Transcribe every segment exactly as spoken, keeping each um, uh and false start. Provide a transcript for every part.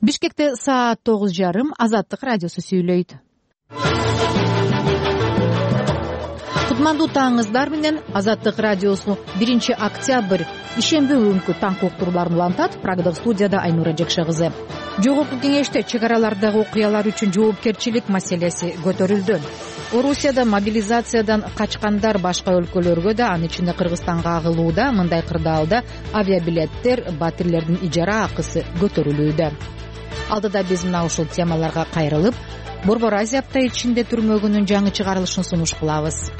Бишкекте саат тогуз жарым. Азаттык радиосу сүйлөйт. Кутмандуу таңыңыздар менен. Азаттык радиосу биринчи октябрь ишемби күнкү таң уктурууларын улантат. Прагдагы студияда Айнура Жекше кызы. Жогорку кеңеште чек аралардагы окуялар үчүн жоопкерчилик маселеси көтөрүлдү. Орусияда мобилизациядан качкандар башка өлкөлөргө да, анын ичинде Кыргызстанга агылууда. Мындай кырдаалда авиабилеттер, батирлердин ижара акысы көтөрүлүүдө. Алдыда биз мына ушул темаларга кайрылып, Борбор Азия апта ичинде түрмөгүнүн жаңы чыгарылышын сунуш кылабыз.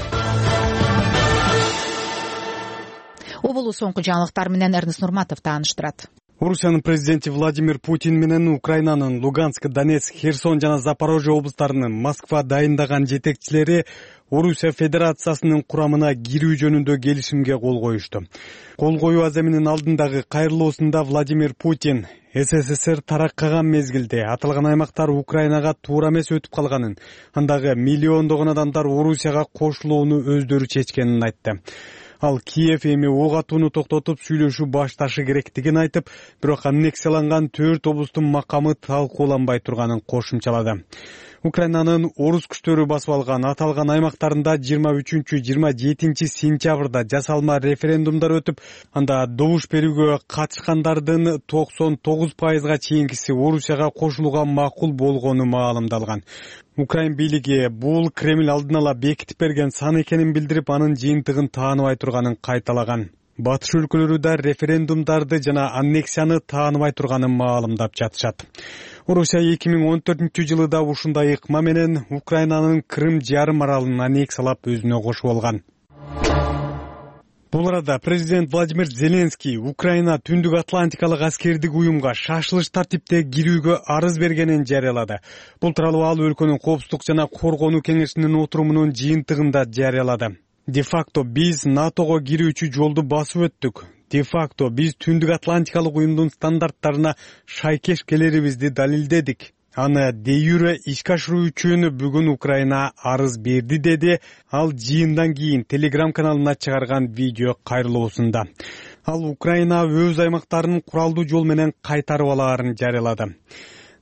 Обулу соңку жаңылыктар менен Эрнест Нурматов тааныштырат. Орусиянын президенти Владимир Путин менен Украинанын Луганск, Донецк, Херсон жана Запорожье облустарынын Москва дайындаган жетекчилери Орусия Федерациясынын курамына кирүү жөнүндө келишимге кол коюшту. Кол коюу аземинин алдындагы кайрылуусунда Владимир Путин СССР тараккаган мезгилде аталган аймактар Украинага туура эмес өтүп калганын, андагы миллиондогон адамдар Орусияга кошулууну өздөрү чечкенин айтты. Ал Киев эми ок атууну токтотуп сүйлөшүү башташы керектигин айтып, бирок аннексияланган төрт облустун макамы талкууланбай турганын кошумчалады. Украинанын орус күчтөрү басып алган аталган аймактарында жыйырма үчүнчү жыйырма жетинчи сентябрда жасалма референдумдар өтүп, анда добуш берүүгө катышкандардын токсон тогуз пайызга чейинкиси Орусияга кошулууга макул болгону маалымдалган. Украин бийлиги бул Кремль алдын ала бекитип берген сан экенин билдирип, анын жыйынтыгын тааныбай турганын кайталаган. Батыш өлкөлөрү да референдумдарды жана аннексияны тааныбай турганын маалымдап жатышат. Орусия эки миң он төртүнчү жылы да ушундай ыкма менен Украинанын Крым жарым аралын аннексиялап өзүнө кошуп алган. Бул арада президент Владимир Зеленский Украина Түндүк Атлантикалык аскердик уюмга шашылыш тартипте кирүүгө арыз бергенин жарыялады. Бул тууралуу ал өлкөнүн коопсуздук жана коргонуу кеңешинин отурумунун жыйынтыгында жарыялады. Де-факто биз НАТОго кирүүчү жолду басып өттүк. Де-факто биз Түндүк Атлантикалык уюмдун стандарттарына шайкеш келерибизди далилдедик. Аны де-юре ишке ашыруу үчүн бүгүн Украина арыз берди, деди ал жыйындан кийин Телеграм каналына чыгарган видео кайрылуусунда. Ал Украина өз аймактарын куралдуу жол менен кайтарып алаарын жарыялады.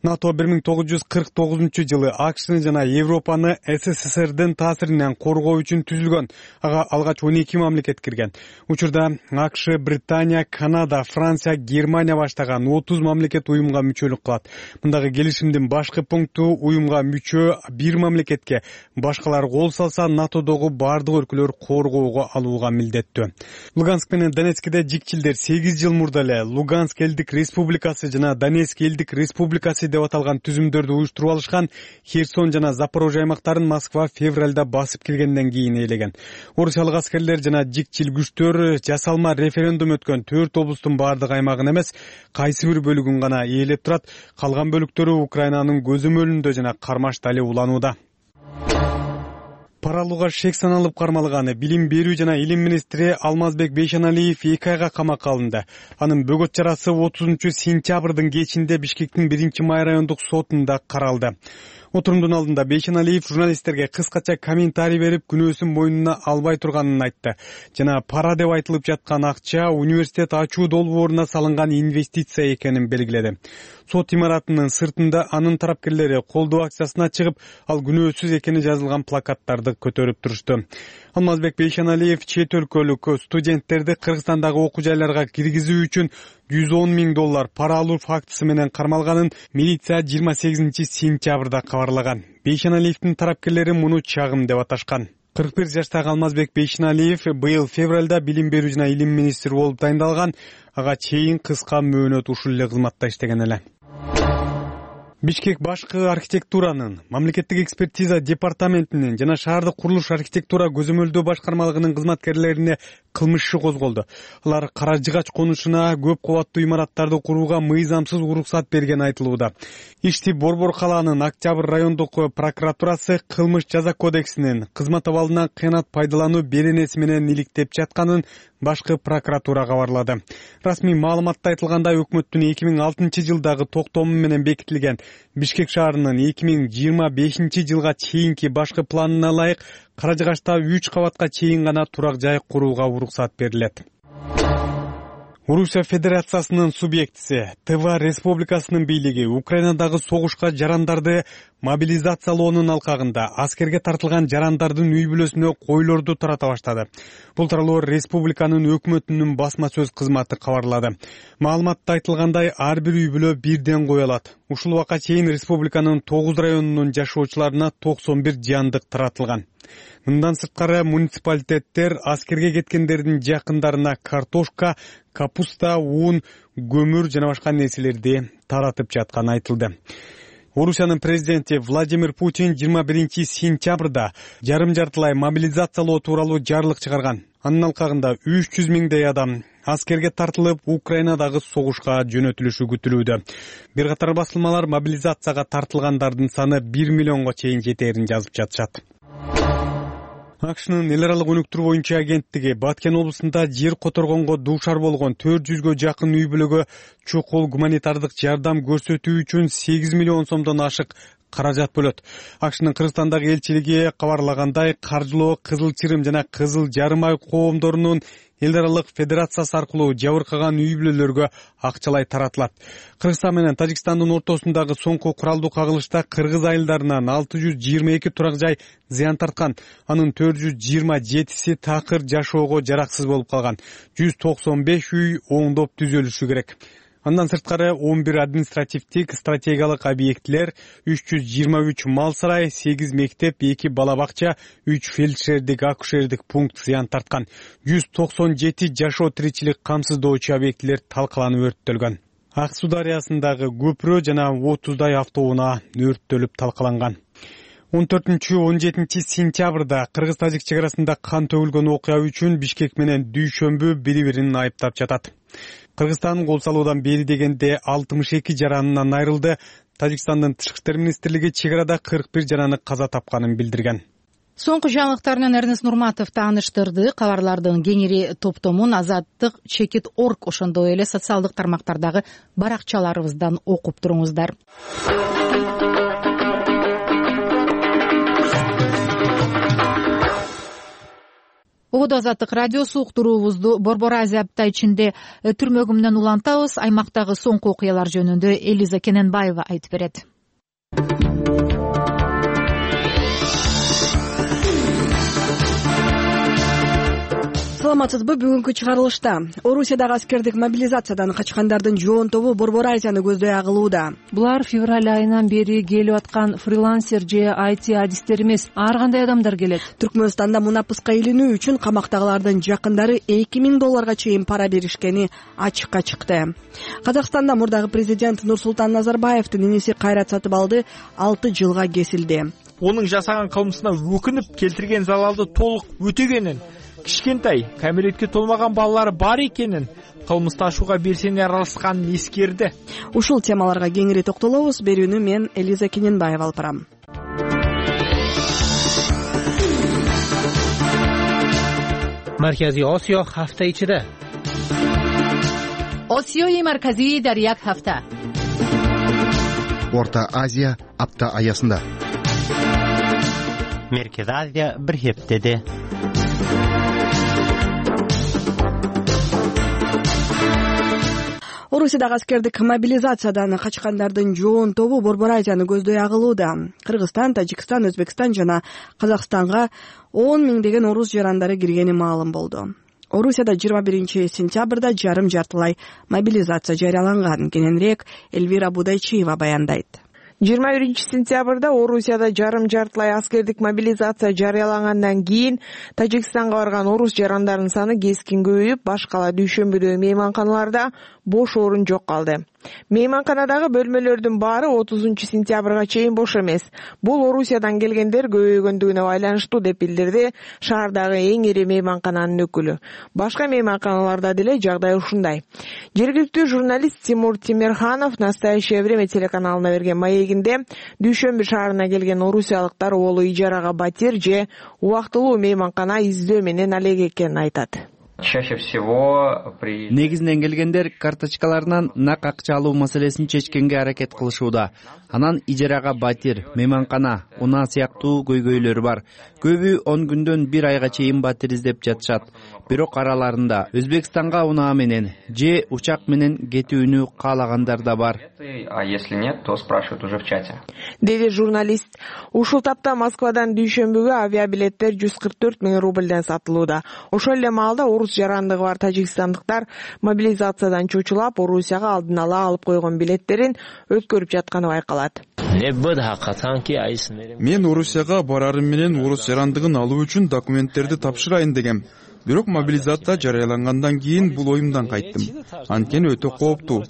НАТО бир миң тогуз жүз кырк тогузунчу жылы АКШны жана Европаны СССРдин таасиринен коргоо үчүн түзүлгөн. Ага алгач он эки мамлекет кирген. Учурда АКШ, Британия, Канада, Франция, Германия баштаган отуз мамлекет уюмга мүчөлүк кылат. Мындагы келишимдин башкы пункту уюмга мүчө бир мамлекетке башкалар кол салса, НАТОдогу бардык өлкөлөр коргоого алууга милдеттүү. Луганск менен Донецкте жикчилдер сегиз жыл мурда эле Луганск элдик республикасы жана Донецк элдик республикасы деп аталган түзүмдөрдү уюштуруп алышкан. Херсон жана Запорожье аймактарын Москва февралда басып киргенден кийин ээлеген. Орусиялык аскерлер жана жикчил күчтөр жасалма референдум өткөн төрт облустун бардык аймагын эмес, кайсы бир бөлүгүн гана ээлеп турат. Калган бөлүктөрү Украинанын көзөмөлүндө жана кармашта эле уланууда. Пара алууга шек саналып кармалган билим берүү жана илим министри Алмазбек Бейшеналиев эки айга камакка алынды. Анын бөгөт чарасы отузунчу сентябрдын кечинде Бишкектин биринчи май райондук сотунда каралды. Отурумдун алдында Бейшеналиев журналисттерге кыскача комментарий берип, күнөөсүн мойнуна албай турганын айтты. Жана пара деп айтылып жаткан акча университет ачуу долбооруна салынган инвестиция экенин белгиледи. Сот имаратынын сыртында анын тарапкерлери колдоо акциясына чыгып, ал күнөөсүз экени жазылган плакаттарды көтөрүп турушту. Алмазбек Бейшеналиев чет өлкөлүк студенттерди Кыргызстандагы окуу жайларга киргизүү үчүн жүз он миң доллар пара алуу фактысы менен кармалганын милиция жыйырма сегизинчи сентябрда кабарлаган. Бейшеналиевдин тарапкерлери муну чагым деп аташкан. кырк бир жаштагы Алмазбек Бейшеналиев быйыл февралда билим берүү жана илим министри болуп дайындалган. Ага чейин кыска мөөнөт ушул эле кызматта иштеген эле. Бишкек башкы архитектуранын, мамлекеттик экспертиза департаментинин жана шаардык курулуш архитектура көзөмөлдөө башкармалыгынын кызматкерлерине кылмыш иши козголду. Алар Кара Жыгач конушуна көп кабаттуу имараттарды курууга мыйзамсыз уруксат берген айтылууда. Ишти Борбор калаанын Октябрь райондук прокуратурасы кылмыш жаза кодексинин кызмат абалынан кыянат пайдалануу беренеси менен иликтеп жатканын башкы прокуратура кабарлады. Расмий маалыматта айтылгандай, өкмөттүн эки миң алтынчы жылдагы токтому менен бекитилген Бишкек шаарынын эки миң жыйырма бешинчи жылга чейинки башкы планына ылайык Кара Жыгачта үч кабатка чейин гана турак жай курууга уруксат берилет. Орусия Федерациясынын субъектиси Тыва Республикасынын бийлиги Украинадагы согушка жарандарды мобилизациялоонун алкагында аскерге тартылган жарандардын үй бүлөсүнө койлорду тарата баштады. Бул тууралуу республиканын өкмөтүнүн басма сөз кызматы кабарлады. Маалыматта айтылгандай, ар бир үй бүлө бирден кой алат. Ушул убакка чейин республиканын тогуз районунун жашоочуларына токсон бир жандык таратылган. Мындан сырткары муниципалитеттер аскерге кеткендердин жакындарына картошка, капуста, ун, көмүр жана башка нерселерди таратып жатканы айтылды. Орусиянын президенти Владимир Путин жыйырма биринчи сентябрда жарым жартылай мобилизациялоо тууралуу жарлык чыгарган. Анын алкагында үч жүз миңдей адам аскерге тартылып, Украинадагы согушка жөнөтүлүшү күтүлүүдө. Бир катар басылмалар мобилизацияга тартылгандардын саны бир миллионго чейин жетээрин жазып жатышат. АКШнын эл аралык өнүктүрүү боюнча агенттиги Баткен облусунда жер которгонго дуушар болгон төрт жүзгө жакын үй бүлөгө чокул гуманитардык жардам көрсөтүү үчүн сегиз миллион сомдон ашык каражат бөлөт. АКШнын Кыргызстандагы элчилиги кабарлагандай, каржылоо Кызыл Чырым жана Кызыл Жарым Ай коомдорунун эл аралык федерациясы аркылуу жабыркаган үй бүлөлөргө акчалай таратылат. Кыргызстан менен Тажикстандын ортосундагы соңку куралдуу кагылышта кыргыз айылдарынан алты жүз жыйырма эки турак жай зыян тарткан. Анын төрт жүз жыйырма жетиси такыр жашоого жараксыз болуп калган. жүз токсон беш үй оңдоп түзөлүшү керек. Андан сырткары он бир административдик стратегиялык объектилер, үч жүз жыйырма үч мал сарай, сегиз мектеп, эки бала бакча, үч фельдшердик акушердик пункт зыян тарткан. жүз токсон жети жашоо тиричилик камсыздоочу объектилер талкаланып өрттөлгөн. Ак Суу дарыясындагы көпүрө жана отуздай автоунаа өрттөлүп талкаланган. он төртүнчү он жетинчи сентябрда Кыргыз-Тажик чек арасында кан төгүлгөн окуя үчүн Бишкек менен Дүйшөмбү бири-бирин айыптап жатат. Кыргызстан кол салуудан бери дегенде алтымыш эки жаранынан айрылды. Тажикстандын Тышкы иштер министрлиги чек арада кырк бир жараны каза тапканын билдирген. Соңку жаңылыктарынан Эрнест Нурматов тааныштырды. Кабарлардын кеңири топтомун Азаттык чекит точка орг ошондой эле социалдык тармактардагы баракчаларыбыздан окуп туруңуздар. Ободо Азаттык радиосу уктуруубузду Борбор Азия апта ичинде түрмөгү менен улантабыз. Аймактагы соңку окуялар жөнүндө Элиза Кененбаева айтып берет. Саламатсызбы? Бүгүнкү чыгарылышта Орусиядагы аскердик мобилизациядан качкандардын жоон тобу Борбор Азияны көздөй агылууда. Булар февраль айынан бери келип аткан фрилансер же ай ти адистер эмес, ар кандай адамдар келет. Түркмөнстанда мунапыска илинүү үчүн камактагылардын жакындары эки миң долларга чейин пара беришкени ачыкка чыкты. Казакстанда мурдагы президент Нурсултан Назарбаевдин иниси Кайрат Сатыбалды алты жылга кесилди. Онун жасаган кылмышына өкүнүп келтирген залалды толук өтөгөнүн, кичкентай кәмелетке толмаган балалары бар экенин, кылмышты ашууга белсене аралашканын эскерди. Ушул темаларга кеңири токтолобуз. Берүүнү мен Элиза Кененбаева алып барам. Марказий Осиё ҳафта ичида. Осиёи марказии дар як ҳафта. Орта Азия апта аясында. Меркез Азия бир ҳаптада. Орусиядагы аскердик мобилизациядан качкандардын жоон тобу Борбор Азияны көздөй агылууда. Кыргызстан, Тажикстан, Өзбекстан жана Казакстанга он миңдеген орус жарандары киргени маалым болду. Орусияда жыйырма биринчи сентябрда жарым жартылай мобилизация жарыяланган. Кененирээк Эльвира Будайчиева баяндайт. жыйырма биринчи сентябрда Орусияда жарым жартылай аскердик мобилизация жарыялангандан кийин Тажикстанга барган орус жарандарынын саны кескин көбөйүп, баш кала Дүйшөмбүдөгү мейманканаларда бош орун жок калды. Мейманканадагы бөлмөлөрдүн баары отузунчу сентябрга чейин бош эмес. Бул Орусиядан келгендер көбөйгөндүгүнө байланыштуу деп билдирди шаардагы эң ири мейманкананын өкүлү. Башка мейманканаларда деле жагдай ушундай. Жергиликтүү журналист Тимур Тимирханов «Настоящее время» телеканалына берген маегинде Дүйшөмбү шаарына келген орусиялыктар олу ижарага батир же убактылуу мейманкана издөө менен алек экенин айтат. Чаще всего при негизинен келгендер карточкаларынан нак акча алуу маселесин чечкенге аракет кылышууда. Анан ижарага батир, мейманкана, унаа сыяктуу көйгөйлөр бар. Көбү он күндөн бир айга чейин батир издеп жатышат. Бирок араларында Өзбекстанга унаа менен же учак менен кетүүнү каалагандар да бар. А если нет, то спрашивают уже в чате. Деди журналист. Ушул тапта Москвадан дүйшөмбүгө авиабилеттер жүз кырк төрт миң рубльден сатылууда. Ошол эле маалда орус жарандыгы бар тажикстандыктар мобилизациядан чочулап, Орусияга алдын ала алып койгон билеттерин өткөрүп жатканы байкалат. Мен Орусияга барарым менен орус жарандыгын алуу үчүн документтерди тапшырайын дегем. Бирок мобилизация жарыялангандан кийин бул оюмдан кайттым. Анткени өтө кооптуу.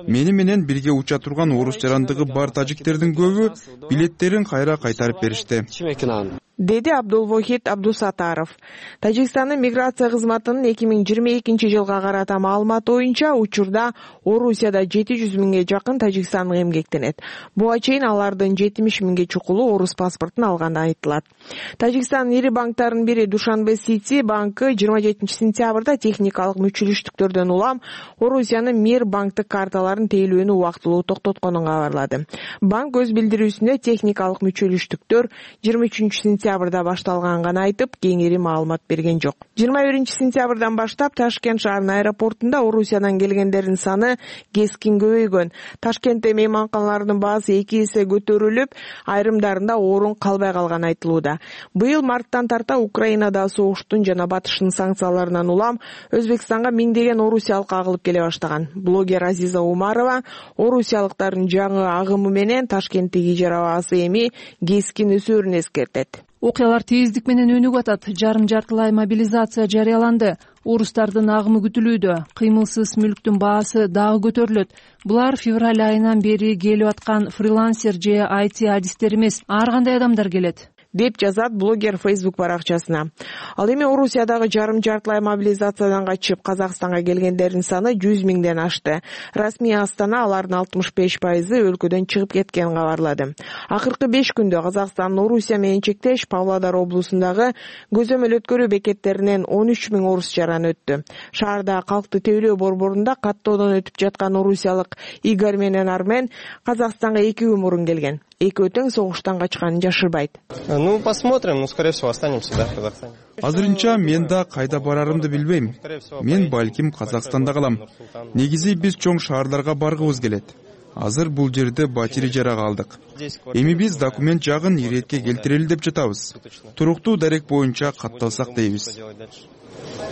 Мени менен бирге уча турган орус жарандыгы бар тажиктердин көбү билеттерин кайра кайтарып беришти. Деди Абдулвохид Абдусатаров. Тажикстандын миграция кызматынын эки миң жыйырма экинчи жылга карата маалыматы боюнча учурда Орусияда жети жүз миңге жакын тажикстандык эмгектенет. Буга чейин алардын жетимиш миңге чукулу орус паспортун алганы айтылат. Тажикстандын ири банктарынын бири Душанбе Сити банкы жыйырма жетинчи сентябрда техникалык мүчүлүштүктөрдөн улам Орусиянын Мир банктык карталарын тейлөөнү убактылуу токтотконун кабарлады. Банк өз билдирүүсүндө техникалык мүчүлүштүктөр жыйырма үчүнчү сентябрда башталганын айтып, кеңири маалымат берген жок. жыйырма биринчи сентябрдан баштап Ташкент шаарынын аэропортунда Орусиядан келгендердин саны кескин көбөйгөн. Ташкентте мейманканалардын баасы эки эсе көтөрүлүп, айрымдарында орун калбай калганы айтылууда. Быйыл марттан тарта Украинада согуштун жана батыштын санкцияларынан улам Өзбекстанга миңдеген орусиялык агылып келе баштаган. Блогер Азиза Умарова орусиялыктардын жаңы агымы менен Ташкенттеги ижара баасы эми кескин өсөөрүн эскертет. Окуялар тездик менен өнүгүп атат. Жарым жартылай мобилизация жарыяланды. Орустардын агымы күтүлүүдө. Кыймылсыз мүлктүн баасы дагы көтөрүлөт. Булар февраль айынан бери келип аткан фрилансер же ай ти адистер эмес, ар кандай адамдар келет, деп жазат блогер Facebook баракчасына. Ал эми Орусиядагы жарым жартылай мобилизациядан качып Казакстанга келгендердин саны жүз миңден ашты. Расмий Астана алардын алтымыш беш пайызы өлкөдөн чыгып кеткенин кабарлады. Акыркы беш күндө Казакстан Орусия менен чектеш Павлодар облусундагы көзөмөл өткөрүү бекеттеринен он үч миң орус жаран өттү. Шаарда калкты тейлөө борборунда каттоодон өтүп жаткан орусиялык Игорь менен Армен Казакстанга эки күн мурун келген. Экөө тең согуштан качканын жашырбайт. Ну, посмотрим, ну, скорее всего, останемся, да, в Казахстане. Азырынча мен да кайда барарымды билбейм. Мен балким Казакстанда калам. Негизи биз чоң шаарларга баргыбыз келет. Азыр бул жерде батир ижарага алдык. Эми биз документ жагын иретке келтирели деп жатабыз. Туруктуу дарек боюнча катталсак дейбиз.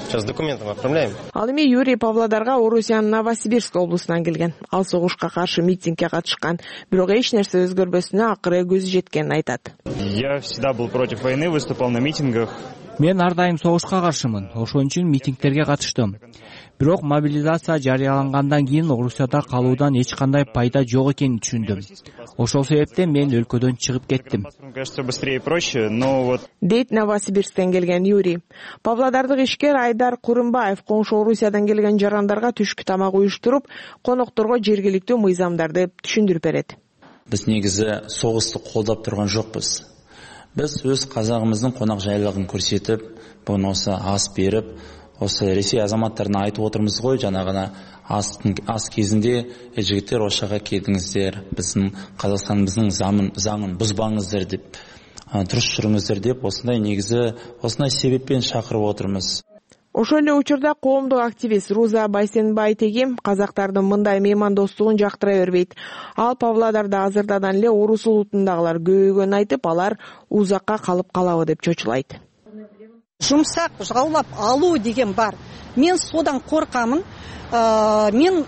Сейчас документом отправляем. Ал эми Юрий Павлодарга Орусиянын Новосибирск облусунан келген. Ал согушка каршы митингге катышкан, бирок эч нерсе өзгөрбөсүнө акыры көзү жеткенин айтат. Я всегда был против войны, выступал на митингах. Мен ар дайым согушка каршымын. Ошон үчүн митингтерге катыштым. Бирок мобилизация жарыялангандан кийин Орусияда калуудан эч кандай пайда жок экенин түшүндүм. Ошол себептен мен өлкөдөн чыгып кеттим. Кажется, быстрее и проще, но вот дейт Новосибирсктен келген Юрий. Павлодардык ишкер Айдар Курымбаев коңшу Орусиядан келген жарандарга түшкү тамак уюштуруп, конокторго жергиликтүү мыйзамдарды түшүндүрүп берет. Биз негизи согушту колдоп турган жокпуз. Биз өз казагыбыздын конок жайлыгын көрсөтүп, буну осы ас берип, осы Ресей азаматтарына айтып отырмыз ғой, жанагына ас ас кезинде жигиттер ошага келдиңиздер, биздин Казакстаныбыздын заңын бузбаңыздар деп, туруш жүрүңүздөр деп, осындай негизи осындай себеппен чакырып отурмуз. Ошол эле учурда коомдук активист Руза Байсенбайтегим казактардын мындай меймандостугун жактыра бербейт. Ал Павлодарда азырдан эле орус улутундагылар көбөйгөнүн айтып, алар узакка калып калабы деп чочулайт. Жумсак жаулап алуу деген бар. Мен содан коркамын. Мен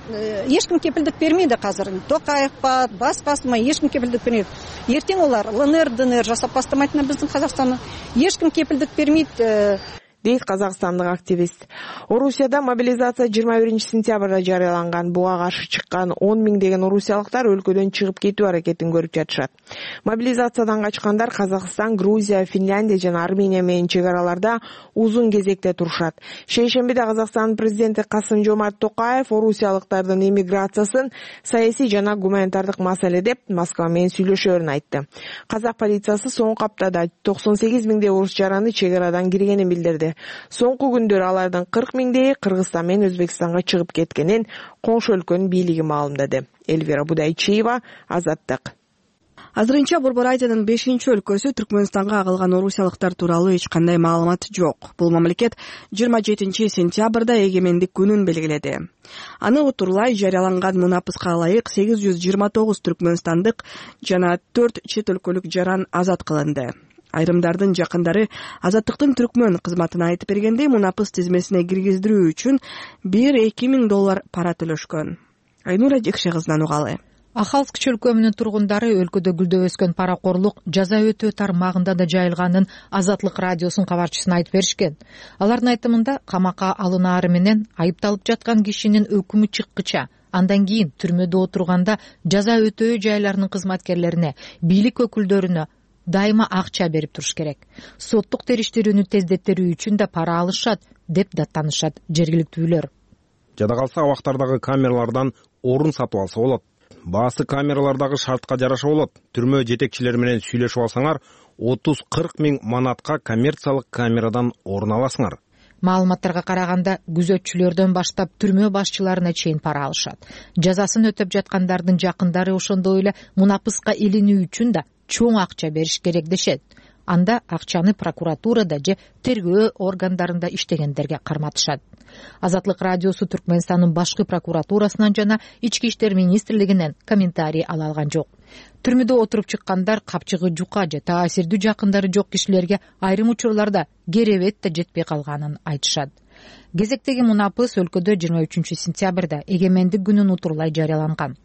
эчким кепилдик бермейди азыр. Токаев бар, башкасына эчким кепилдик бермейт. Эртең олар ЛНР, ДНР жасап баштамайтын биздин Казакстанны. Эчким кепилдик бермейт, дейт казакстандык активист. Орусияда мобилизация жыйырма биринчи сентябрда жарыяланган. Буга каршы чыккан он миңдеген орусиялыктар өлкөдөн чыгып кетүү аракетин көрүп жатышат. Мобилизациядан качкандар Казакстан, Грузия, Финляндия жана Армения менен чек араларда узун кезекте турушат. Шейшембиде Казакстандын президенти Касым-Жомарт Токаев орусиялыктардын эмиграциясын саясий жана гуманитардык маселе деп Москва менен сүйлөшөөрүн айтты. Казак полициясы соңку аптада токсон сегиз миңдей орус жараны чек арадан киргенин билдирди. Соңку күндөр алардын кырк миңдейи Кыргызстан менен Өзбекстанга чыгып кеткенин коңшу өлкөнүн бийлиги маалымдады. Эльвира Будайчиева, Азаттык. Азырынча Борбор Азиянын бешинчи өлкөсү Түркмөнстанга агылган орусиялыктар тууралуу эч кандай маалымат жок. Бул мамлекет жыйырма жетинчи сентябрда эгемендик күнүн белгиледи. Аны утурлай жарыяланган мунапыска ылайык сегиз жүз жыйырма тогуз түркмөнстандык жана төрт чет өлкөлүк жаран азат кылынды. Айрымдардын жакындары азаттыктын түркмөн кызматына айтып бергендей, мунапыс тизмесине киргиздирүү үчүн бир эки миң доллар пара төлөшкөн. Айнура Жекше кызынан угалы. Ахалск чөлкөмүнүн тургундары өлкөдө гүлдөп өскөн паракорлук жаза өтөө тармагында да жайылганын Азаттык радиосунун кабарчысына айтып беришкен. Алардын айтымында камакка алынаары менен айыпталып жаткан кишинин өкүмү чыккыча, андан кийин түрмөдө отурганда жаза өтөө жайларынын кызматкерлерине, бийлик өкүлдөрүнө дайыма акча берип туруш керек. Соттук териштирүүнү тездеттерүү үчүн да пара алышат деп даттанышат жергиликтүүлөр. Жада калса абактардагы камералардан орун сатып алса болот. Баасы камералардагы шартка жараша болот. Түрмө жетекчилери менен сүйлөшүп алсаңар, отуз кырк миң манатка коммерциялык камерадан орун аласыңар. Маалыматтарга караганда, күзөтчүлөрдөн баштап түрмө башчыларына чейин пара алышат. Жазасын өтөп жаткандардын жакындары ошондой эле мунапыска илинүү үчүн да чоң акча бериш керек дешет. Анда акчаны прокуратурада же тергөө органдарында иштегендерге карматышат. Азаттык радиосу Түркмөнстандын башкы прокуратурасынан жана Ички иштер министрлигинен комментарий ала алган жок. Түрмөдө отуруп чыккандар капчыгы жука же таасирдүү жакындары жок кишилерге айрым учурларда керебет да жетпей калганын айтышат. Кезектеги мунапыс өлкөдө жыйырма үчүнчү сентябрда эгемендик күнүн утурлай жарыяланган.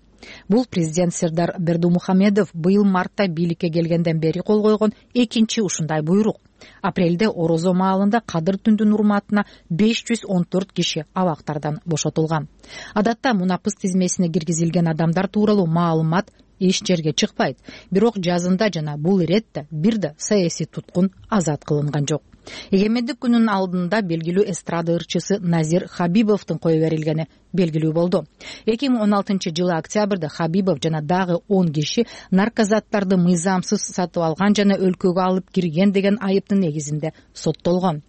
Бул президент Сердар Бердумухамедов быйыл мартта бийликке келгенден бери кол койгон экинчи ушундай буйрук. Апрелде Орозо маалында Кадыр түндүн урматына беш жүз он төрт киши абактардан бошотулган. Адатта мунапыс тизмесине киргизилген адамдар тууралуу маалымат эч жерге чыкпайт. Бирок жазында жана бул иретте бир да саясий туткун азат кылынган жок. Эгемендик күнүнүн алдында белгилүү эстрада ырчысы Назир Хабибовдун кое берилгени белгилүү болду. эки миң он алтынчы жылы октябрда Хабибов жана дагы он киши наркозаттарды мыйзамсыз сатып алган жана өлкөгө алып кирген деген айыптын негизинде соттолгон.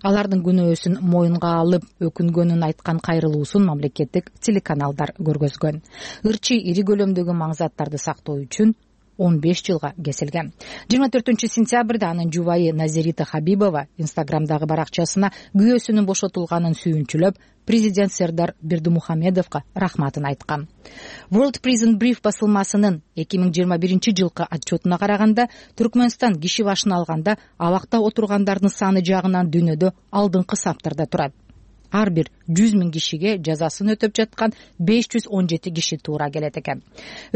Алардын күнөөсүн моюнга алып өкүнгөнүн айткан кайрылуусун мамлекеттик телеканалдар көргөзгөн. Ырчы ири көлөмдөгү маңзаттарды сактоо үчүн он беш жылга кесилген. жыйырма төртүнчү сентябрда анын жубайы Назирита Хабибова инстаграмдагы баракчасына күйөөсүнүн бошотулганын сүйүнчүлөп, президент Сердар Бердумухамедовго рахматын айткан. World Prison Brief басылмасынын эки миң жыйырма биринчи жылкы отчетуна караганда, Түркмөнстан киши башына алганда абакта отургандардын саны жагынан дүйнөдө алдыңкы саптарда турат. Ар бир жүз миң кишиге жазасын өтөп жаткан беш жүз он жети киши туура келет экен.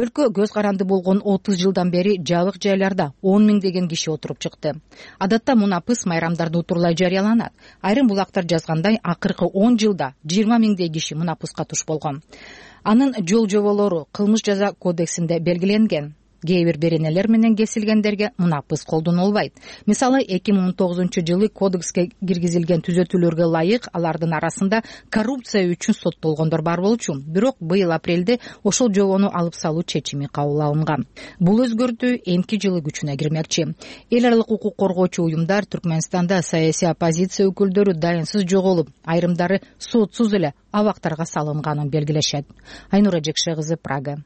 Өлкө көз каранды болгон отуз жылдан бери жабык жайларда он миңдеген киши отуруп чыкты. Адатта мунапыс майрамдарда утурлай жарыяланат. Айрым булактар жазгандай, акыркы он жылда жыйырма миңдей киши мунапыска туш болгон. Анын жол жоболору кылмыш жаза кодексинде белгиленген. Кээ бир беренелер менен кесилгендерге мунапыс колдонулбайт. Мисалы, эки миң он тогузунчу жылы кодекске киргизилген түзөтүүлөргө ылайык алардын арасында коррупция үчүн соттолгондор бар болчу. Бирок быйыл апрелде ошол жобону алып салуу чечими кабыл алынган. Бул өзгөртүү эмки жылы күчүнө кирмекчи. Эл аралык укук коргоочу уюмдар Түркмөнстанда саясий оппозиция өкүлдөрү дайынсыз жоголуп, айрымдары сотсуз эле абактарга салынганын белгилешет. Айнура Жекше кызы, Прага.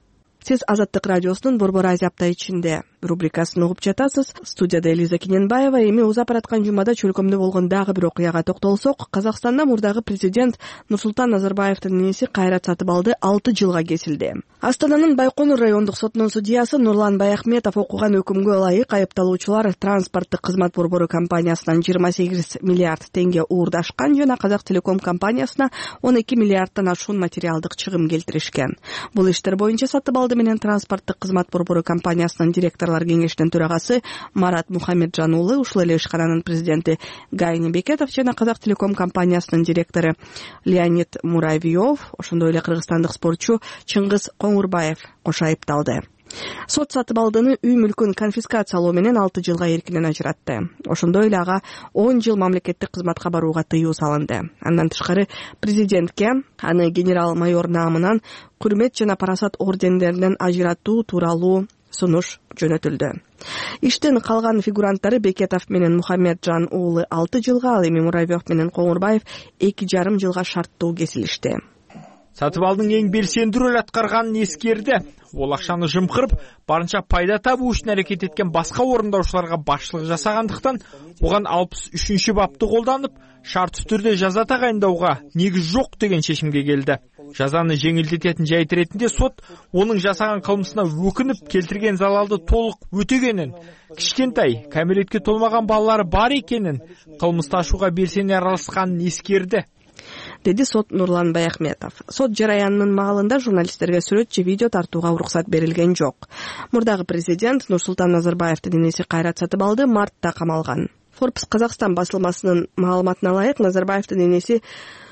Сиз Азаттык радиосунун Борбор Азия апта ичинде рубрикасын угуп жатасыз. Студияда Элиза Кененбаева. Эми узап бараткан жумада чөлкөмдө болгон дагы бир окуяга токтолсок, Казакстанда мурдагы президент Нурсултан Назарбаевдин инеси Кайрат Сатыбалды алты жылга кесилди. Астананын Байконур райондук сотунун судьясы Нурлан Баяхметов окуган өкүмгө ылайык айыпталуучулар транспорттук кызмат борбору компаниясынан жыйырма сегиз миллиард теңге уурдашкан жана Казак Телеком компаниясына он эки миллиардтан ашуун материалдык чыгым келтиришкен. Бул иштер боюнча Сатыбалды менен транспорттук кызмат борбору компаниясынын директорлор кеңешинин төрагасы Марат Мухамеджан уулу, ушул эле ишкананын президенти Гайни Бекетов жана Казак Телеком компаниясынын директору Леонид Муравьев, ошондой эле кыргызстандык спортчу Чыңгыз Коңурбаев кошо айыпталды. Сот Сатыбалдыны үй мүлкүн конфискациялоо менен алты жылга эркинен ажыратты. Ошондой эле ага он жыл мамлекеттик кызматка барууга тыюу салынды. Андан тышкары президентке аны генерал-майор наамынан Күрмет жана Парасат ордендеринен ажыратуу тууралуу сунуш жөнөтүлдү. Иштин калган фигуранттары Бекетов менен Мухамеджан уулу алты жылга, ал эми Муравьев менен Коңурбаев эки жарым жылга шарттуу кесилишти. сатып алдын эң белсендүү роль аткарганын эскерди. Ол акчаны жымкырып, барынча пайда табуу үчүн аракет эткен башка орундаушыларга башчылык жасагандыктан буга алпыс үчүнчү бапты колдонуп, шарттуу түрдө жаза тагайындауга негиз жок деген чечимге келди. Жазаны жеңилдететін жайт ретинде сот оның жасаған кылмысына өкүнүп келтирген залалды толук өтөгенин, кичкентай кәмелетке толмаган балалары бар экенин, кылмысташууга белсене аралашканын эскерди, деди сот Нурлан Баяхметов. Сот жараянынын маалында журналисттерге сүрөт же видео тартууга уруксат берилген жок. Мурдагы президент Нурсултан Назарбаевдин энеси Кайрат Сатыбалды мартта камалган. Forbes Казакстан басылмасынын маалыматына ылайык, Назарбаевдин энеси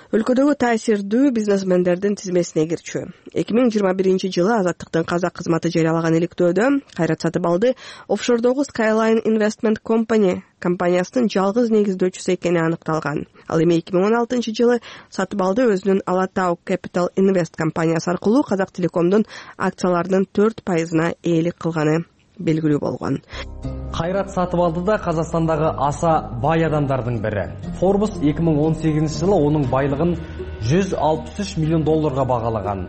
өлкөдөгү таасирдүү бизнесмендердин тизмесине кирчү. эки миң жыйырма биринчи жылы Азаттыктын казак кызматы жарыялаган иликтөөдө Кайрат Сатыбалды офшордогу Skyline Investment Company компаниясынын жалгыз негиздөөчүсү экени аныкталган. Ал эми эки миң он алтынчы жылы Сатыбалды өзүнүн Алатау Capital Invest компаниясы аркылуу Казак Телекомдун акцияларынын төрт пайызына ээлик кылганы белгилүү болгон. Кайрат Сатыбалды да Казакстандагы аса бай адамдардын бири. Forbes эки миң он сегизинчи жылы онун байлыгын жүз алпыс үч миллион долларга багалаган.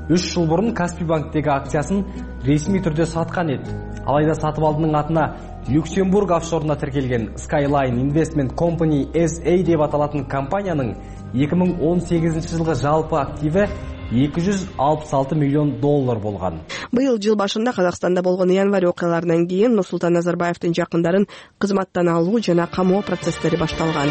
үч жыл мурун Каспий банктеги акциясын ресми түрдө саткан эди. Алайда Сатыбалдынын атына Люксембург офшоруна тиркелген Skyline Investment Company эс эй деп аталатын компаниянын эки миң он сегизинчи жылгы жалпы активи эки жүз алпыс алты миллион доллар болгон. Быйыл жыл башында Казакстанда болгон январь окуяларынан кийин Нурсултан Назарбаевдин жакындарын кызматтан алуу жана камоо процесстери башталган.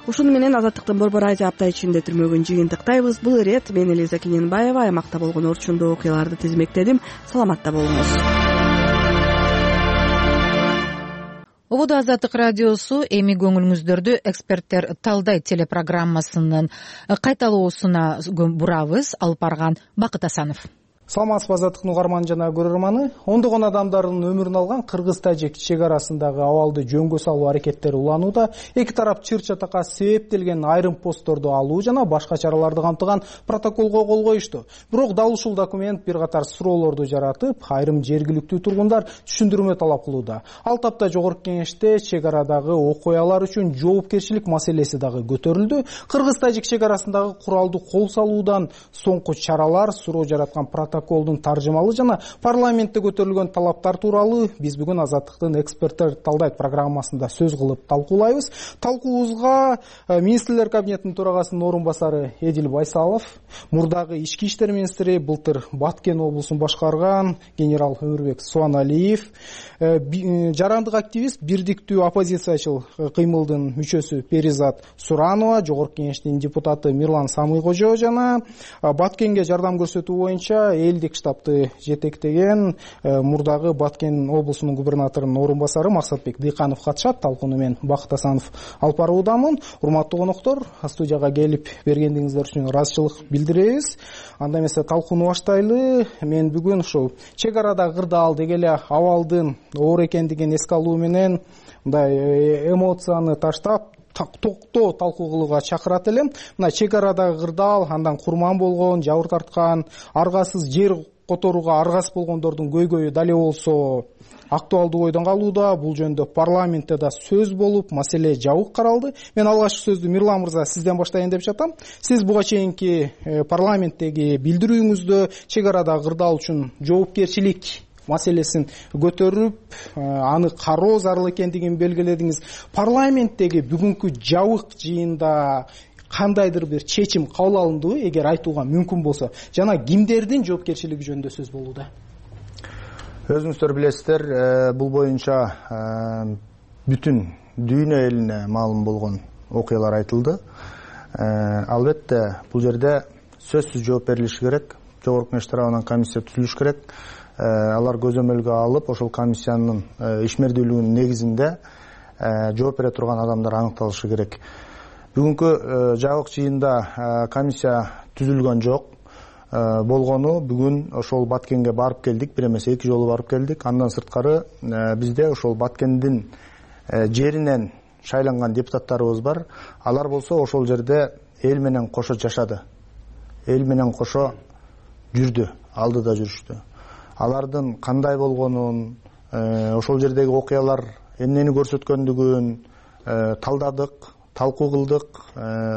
Ушуну менен Азаттыктын Борбор Азия апта ичинде түрмөгүн жыйынтыктайбыз. Бул ирет мен Элиза Кененбаева аймакта болгон орчундуу окуяларды тизмектедим. Саламатта болуңуз. Ободо Азаттык радиосу эми көңүлүңүздөрдү эксперттер талдайт телепрограммасынын кайталоосуна бурабыз. Алып барган Бакыт Асанов. Саламатсызбы Азаттыктын угарманы жана көрөрманы. Ондогон адамдардын өмүрүн алган Кыргыз-Тажик чек арасындагы абалды жөнгө салуу аракеттери уланууда. Эки тарап чыр-чатакка себептелген айрым постторду алуу жана башка чараларды камтыган протоколго кол коюшту. Бирок дал ушул документ бир катар суроолорду жаратып, айрым жергиликтүү тургундар түшүндүрмө талап кылууда. Ал тапта Жогорку Кеңеште чек арадагы окуялар үчүн жоопкерчилик маселеси дагы көтөрүлдү. Кыргыз-Тажик чек арасындагы куралды кол салуудан соңку чаралар, суроо жараткан протокол Колдун таржымалы жана парламентте көтөрүлгөн талаптар тууралуу биз бүгүн Азаттыктын эксперттер талдайт программасында сөз кылып талкуулайбыз. Талкуубузга министрлер кабинетинин төрагасынын орун басары Эдил Байсалов, мурдагы ички иштер министри, былтыр Баткен облусун башкарган генерал Өмүрбек Суаналиев, жарандык активист, бирдиктүү оппозициячыл кыймылдын мүчөсү Перизат Суранова, Жогорку Кеңештин депутаты Мирлан Самыйкожо жана Баткенге жардам көрсөтүү боюнча элдик штабты жетектеген мурдагы Баткен облусунун губернаторунун орун басары Максатбек Дыйканов катышат. Талкууну мен Бакыт Асанов алып баруудамын. Урматтуу коноктор, студияга келип бергендиңиздер үчүн ыраазычылык билдиребиз. Анда эмесе талкууну баштайлы. Мен бүгүн ушул чек арада кырдаал деги эле абалдын оор экендигин эске алуу менен мындай эмоцияны таштап токтоо талкуу кылууга чакырат элем. Мына чек арадагы кырдаал, андан курман болгон, жабыр тарткан, аргасыз жер которууга аргасыз болгондордун көйгөйү дале болсо актуалдуу ойдон калууда. Бул жөнүндө парламентте да сөз болуп, маселе жабык каралды. Мен алгачкы сөздү Мирлан мырза сизден баштайын деп жатам. Сиз буга чейинки парламенттеги билдирүүңүздө чек арадагы кырдаал үчүн жоопкерчилик маселесин көтөрүп, аны кароо зарыл экендигин белгиледиңиз. Парламенттеги бүгүнкү жабык жыйында кандайдыр бир чечим кабыл алындыбы, эгер айтууга мүмкүн болсо, жана кимдердин жоопкерчилиги жөнүндө сөз болууда? Өзүңүздөр билесиздер, бул боюнча бүтүн дүйнө элине маалым болгон окуялар айтылды. Албетте бул жерде сөзсүз жооп берилиши керек. Жогорку Кеңеш тарабынан комиссия түзүлүш керек. Алар көзөмөлгө алып, ошол комиссиянын ишмердүүлүгүнүн негизинде жооп бере турган адамдар аныкталышы керек. Бүгүнкү жабык жыйында комиссия түзүлгөн жок. Болгону бүгүн ошол Баткенге барып келдик, бир эмес эки жолу барып келдик. Андан сырткары бизде ошол Баткендин жеринен шайланган депутаттарыбыз бар. Алар болсо ошол жерде эл менен кошо жашады. Эл менен кошо жүрдү, алдыда жүрүштү. Алардын кандай болгонун, ошол жердеги окуялар эмнени көрсөткөндүгүн талдадык, талкуу кылдык.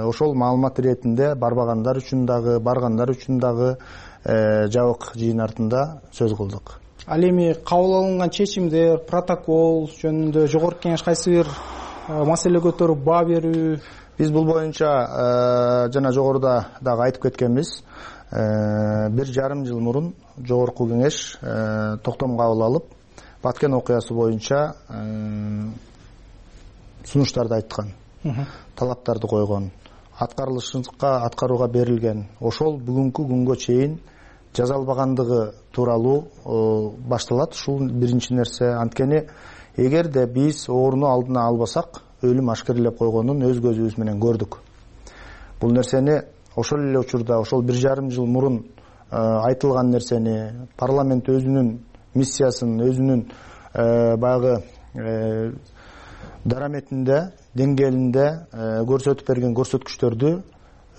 Ошол маалымат иретинде барбагандар үчүн дагы, баргандар үчүн дагы жабык жыйын артында сөз кылдык. Ал эми кабыл алынган чечимдер, протокол жөнүндө жогорку кеңеш кайсы бир маселе көтөрүп баа берүү? Биз бул боюнча жана жогоруда дагы айтып кеткенбиз. Бир жарым жыл мурун жогорку кеңеш токтом кабыл алып, Баткен окуясы боюнча сунуштарды айткан, талаптарды койгон, аткарылышка аткарууга берилген. Ошол бүгүнкү күнгө чейин жазалбагандыгы тууралуу башталат. Ушул биринчи нерсе. Анткени эгерде биз ооруну алдына албасак, өлүм ашкерлеп койгонун өз көзүбүз менен көрдүк. Бул нерсени ошол эле учурда, ошол бир жарым жыл мурун айтылган нерсени парламент өзүнүн миссиясын, өзүнүн баягы дараметинде, деңгээлинде көрсөтүп берген көрсөткүчтөрдү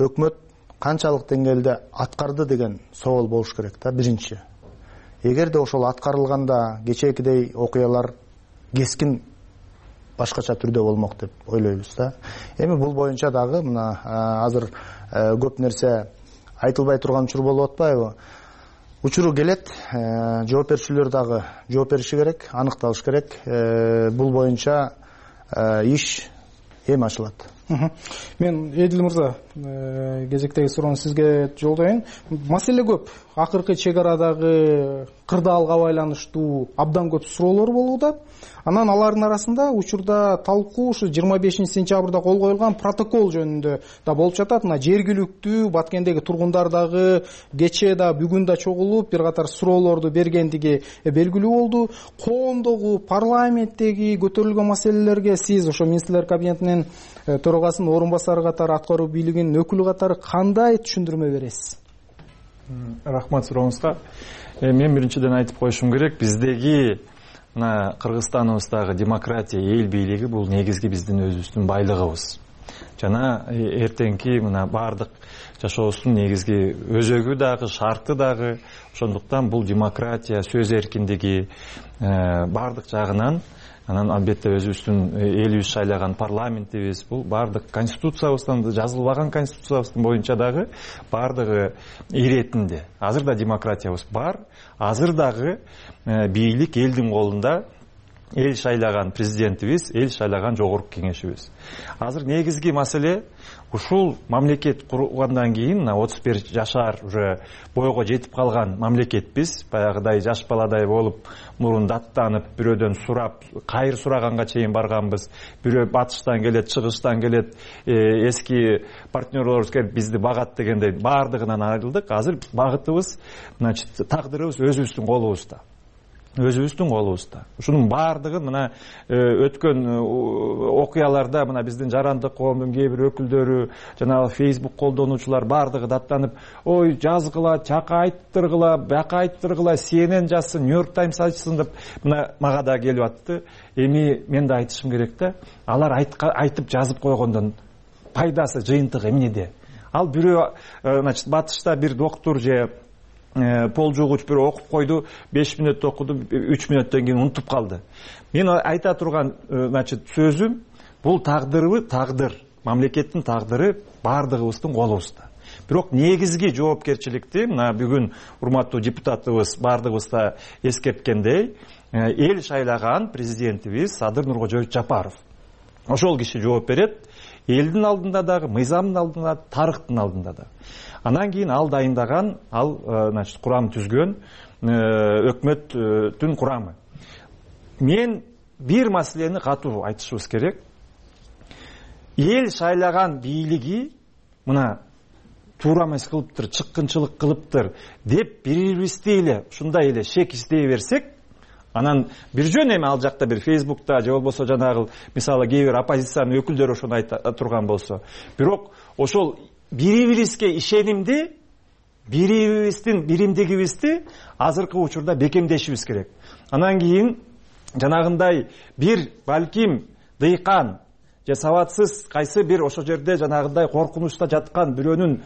өкмөт канчалык деңгээлде аткарды деген соол болуш керек да, биринчи. Эгерде ошол аткарылганда кечээкидей окуялар кескин башкача түрдө болмок деп ойлойбуз да. Эми бул боюнча дагы мына азыр көп нерсе айтылбай турган учур болуп атпайбы? Учуру келет, жооп берүүчүлөр дагы жооп бериши керек, аныкталыш керек. Бул боюнча иш эми ачылат. Мен Эдил мырза, кезектеги суроону сизге жолдоюн. Маселе көп. Акыркы чек арадагы кырдаалга байланыштуу абдан көп суроолор болууда. Анан алардын арасында учурда талкуу ушу жыйырма бешинчи сентябрда кол коюлган протокол жөнүндө да болуп жатат. Мына жергиликтүү Баткендеги тургундар дагы кечээ да бүгүн да чогулуп бир катар суроолорду бергендиги белгилүү болду. Коомдогу, парламенттеги көтөрүлгөн маселелерге сиз ошо министрлер кабинетинин төрагасынын орун басары катары, аткаруу бийлигинин өкүлү катары кандай түшүндүрмө бересиз? Рахмат сурооңузга. Мен биринчиден айтып коюшум керек, биздеги мына Кыргызстаныбыздагы демократия, эл бийлиги бул негизги биздин өзүбүздүн байлыгыбыз. Жана эртеңки мына бардык жашообуздун негизги өзөгү дагы, шарты дагы. Ошондуктан бул демократия, сөз эркиндиги бардык жагынан, анан албетте өзүбүздүн элибиз шайлаган парламентибиз, бул бардык конституциябыздан, жазылбаган конституциябыздын боюнча дагы бардыгы иретинде. Азыр да демократиябыз бар, азыр дагы бийлик элдин колунда, эл шайлаган президентибиз, эл шайлаган жогорку кеңешибиз. Азыр негизги маселе ушул мамлекет кургандан кийин отуз бир жашар уже бойго жетип калган мамлекетпиз. Баягыдай жаш баладай болуп, мурун даттанып, бирөөдөн сурап, кайыр сураганга чейин барганбыз. Бирөө батыштан келет, чыгыштан келет, эски партнерлорубуз келип бизди багат дегендей баардыгынан айрылдык. Азыр багытыбыз, значит, тагдырыбыз өзүбүздүн колубузда. Өзүбүздүн колубузда. Ушунун баардыгын мына өткөн окуяларда мына биздин жарандык коомдун кээ бир өкүлдөрү, жанагы Facebook колдонуучулар баардыгы даттанып, ой жазгыла, чака айттыргыла, бака айттыргыла, си эн эн жазсын, Нью-Йорк Таймс айтсын деп мына мага да келип атты. Эми мен да айтышым керек да, алар айтып жазып койгондон пайдасы, жыйынтыгы эмнеде? Ал бирөө, значит, батышта бир доктор же пол жугуч бир окуп койду, беш мүнөттө окуду, үч мүнөттөн кийин унутуп калды. Мен айта турган, значит, сөзүм, бул тагдырыбы, тагдыр, мамлекеттин тагдыры баардыгыбыздын колубузда. Бирок негизги жоопкерчиликти мына бүгүн урматтуу депутатыбыз баардыгыбыз да эскерткендей, эл шайлаган президентибиз Садыр Нуркожоевич Жапаров. Ошол киши жооп берет, элдин алдында дагы, мыйзамдын алдында, тарыхтын алдында да. Анан кийин ал дайындаган, ал, значит, курам түзгөн өкмөттүн курамы. Мен бир маселени катуу айтышыбыз керек. Эл шайлаган бийлиги мына туура эмес кылыптыр, чыккынчылык кылыптыр деп бирибизди эле ушундай эле шек издей берсек, анан бир жөн эми ал жакта бир Facebook'та же болбосо жанагы мисалы кээ бир оппозициянын өкүлдөрү ошону айта турган болсо, бирок ошол бири-бирибизге ишенимди, бири-бирибиздин биримдигибизди азыркы учурда бекемдешибиз керек. Анан кийин жанагындай бир балким дыйкан же сабатсыз кайсы бир ошол жерде жанагындай коркунучта жаткан бирөөнүн,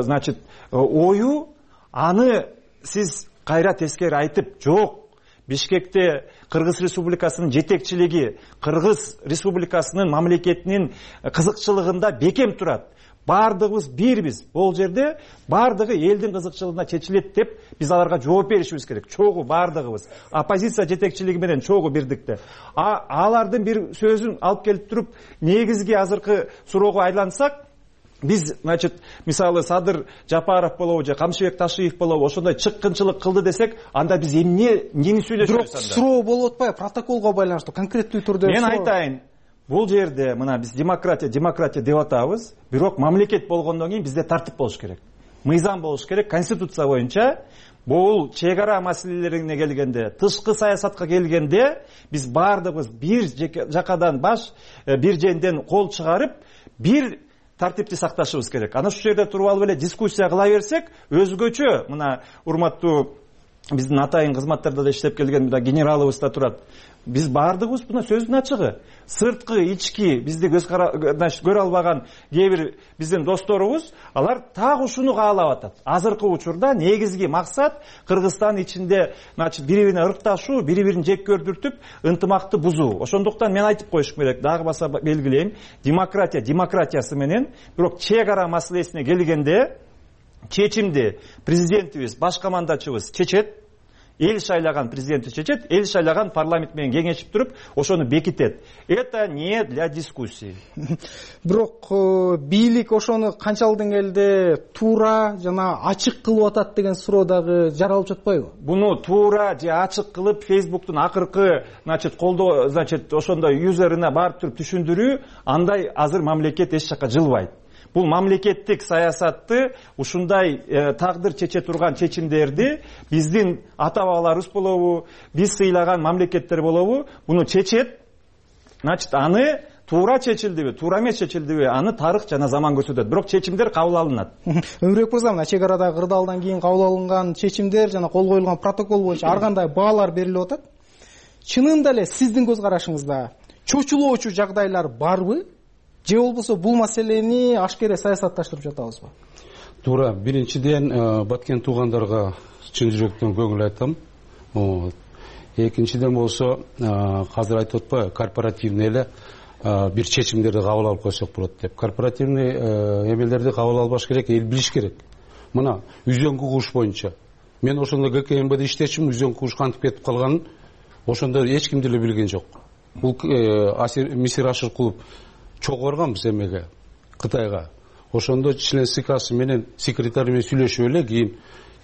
значит, ою, аны сиз кайра тескери айтып, жок, Бишкекте Кыргыз Республикасынын жетекчилиги Кыргыз Республикасынын мамлекетинин кызыкчылыгында бекем турат. Бардыгыбыз бирбиз. Бул жерде бардыгы элдин кызыкчылыгына чечилет деп биз аларга жооп беришибиз керек. Чогуу бардыгыбыз. Оппозиция жетекчилиги менен чогуу бирдикте. А алардын бир сөзүн алып келип туруп негизги азыркы суроого айлансак, биз, значит, мисалы Садыр Жапаров болобу же Камшыбек Ташиев болобу ошондой чыккынчылык кылды десек, анда биз эмне эмнени сөйлөшөбүз анда? Бирок суроо болуп атпайбы? Протоколго байланыштуу конкреттүү түрдө. Мен айтайын, бул жерде мына биз демократия, демократия деп атабыз, бирок мамлекет болгондон кийин бизде тартип болуш керек. Мыйзам болуш керек. Конституция боюнча бул чек ара маселелерине келгенде, тышкы саясатка келгенде биз бардыгыбыз бир жакадан баш, бир женден кол чыгарып, бир тартипти сакташыбыз керек. Ана ушул жерде туруп алып эле дискуссия кыла берсек, өзгөчө мына урматтуу биздин атайын кызматтарда да иштеп келген мына генералыбыз да турат. Биз бардыгыбыз мына сөздүн ачыгы. Сырткы, ички бизди көз көрө албаган кээ бир биздин досторубуз, алар так ушуну каалап атат. Азыркы учурда негизги максат Кыргызстан ичинде, значит, бири-бирине ыркташуу, бири-бирин жек көрдүртүп, ынтымакты бузуу. Ошондуктан мен айтып коюшум керек, дагы баса белгилейм, демократия демократиясы менен, бирок чек ара маселесине келгенде чечимди президентибиз, баш командачыбыз чечет. Эл шайлаган президенти чечет, эл шайлаган парламент менен кеңешип туруп, ошону бекитет. Это не для дискуссии. Бирок бийлик ошону канчалык деңгээлде туура жана ачык кылып атат деген суроо дагы жаралып жатпайбы? Буну туура же ачык кылып Facebook'тун акыркы, значит, колдоо, значит, ошондой юзерine барып туруп түшүндүрүү, андай азыр мамлекет эч жакка жылбайт. Бул мамлекеттик саясатты ушундай э, тагдыр чече турган чечимдерди биздин ата бабаларыбыз болобу, биз сыйлаган мамлекеттер болобу, буну чечет. Значит, аны туура чечилдиби, туура эмес чечилдиби, аны тарых жана заман көрсөтөт. Бирок чечимдер кабыл алынат. Өмүрбек мырза, мына чек арадагы кырдаалдан кийин кабыл алынган чечимдер жана кол коюлган протокол боюнча ар кандай баалар берилип атат. Чынында эле сиздин көз карашыңызда чочулоочу жагдайлар барбы? Же болбосо бул маселени ашкере саясатташтырып жатабызбы? Туура. Биринчиден баткен туугандарга чын жүрөктөн көңүл айтам. Экинчиден болсо азыр айтып атпайбы, корпоративный эле бир чечимдерди кабыл алып койсок болот деп. Корпоративный эмелерди кабыл албаш керек, эл билиш керек. Мына үзөңкү куш боюнча мен ошондо ГКМБде иштечимин, үзөңкү куш кантип кетип калганын ошондо эч ким деле билген жок. Бул Мисир Ашыркулов чогуу барганбыз эмеге, Кытайга. Ошондо член СКсы менен секретарь менен сүйлөшүп эле кийин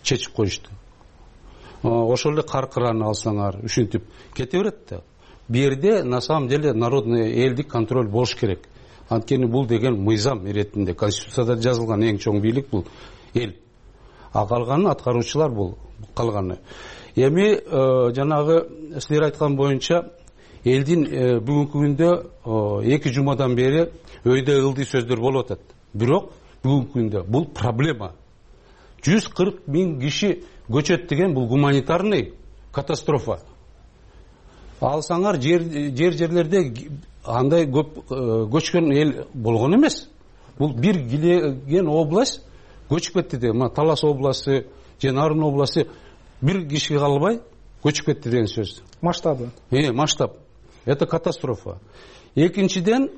чечип коюшту. Ошол эле каркыраны алсаңар, ушинтип кете берет да. Бу жерде на самом деле народный элдик контроль болуш керек. Анткени бул деген мыйзам иретинде, конституцияда жазылган эң чоң бийлик бул эл. А калганы аткаруучулар бул калганы. Эми жанагы силер айткан боюнча элдин бүгүнкү күндө эки жумадан бери өйдө ылдый сөздөр болуп атат. Бирок бүгүнкү күндө бул проблема. жүз кырк миң киши көчөт деген бул гуманитарный катастрофа. Алсаңар жер жер жерлерде андай көп көчкөн эл болгон эмес. Бул бир килеген область көчүп кетти деген, мына Талас областы, же Нарын областы бир киши калбай көчүп кетти деген сөз. Масштабы. Э, масштаб. Это катастрофа. Экинчиден,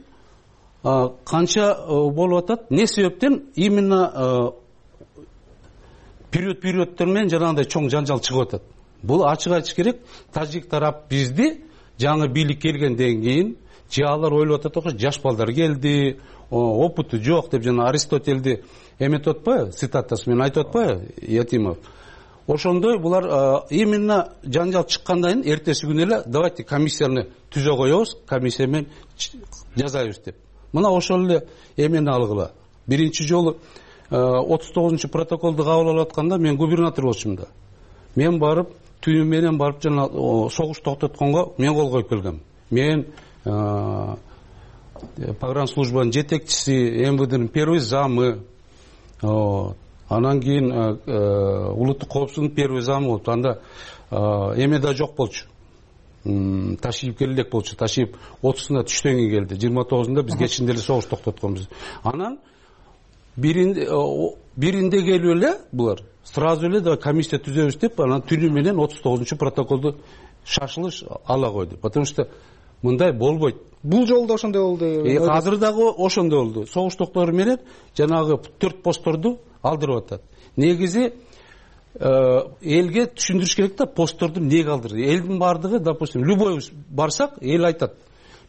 канча болуп атат? Не себептен именно период-периодтор менен жанагындай чоң жанжал чыгып атат. Бул ачык айтыш керек. Тажик тарап бизди жаңы бийлик келгенден кийин же алар ойлоп атат окшойт, жаш балдар келди, опыту жок деп жана Аристотельди эметип атпайбы, цитатасы менен айтып атпайбы Ятимов. Ошондой булар именно жанжал чыккандан кийин эртеси күнү эле давайте комиссияны түзө коебуз, комиссия менен жазайбыз деп. Мына ошол эле эмени алгыла. Биринчи жолу отуз тогузунчу протоколду кабыл алып атканда мен губернатор болчумун да. Мен барып түнү менен барып жана согуш токтотконго мен кол коюп келгем. Мен погранслужбанын жетекчиси, МВДнын первый замы, анан кийин улуттук коопсуздуктун первый замы болуп, анда эме да жок болчу. Ташиев келе элек болчу. Ташиев отузунда түштөн кийин келди. жыйырма тогузунда биз кечинде эле согуш токтотконбуз. Анан биринде биринде келип эле булар сразу эле да комиссия түзөбүз деп, анан түнү менен отуз тогузунчу протоколду шашылыш ала койду, потому что мындай болбойт. Бул жолу да ошондой болду. Азыр дагы ошондой болду. Согуш токтору менен жанагы төрт постторду алдырып атат. Негизи элге түшүндүрүш керек да, постторду эмнеге алдырды. Элдин бардыгы, допустим, любой барсак, эл айтат,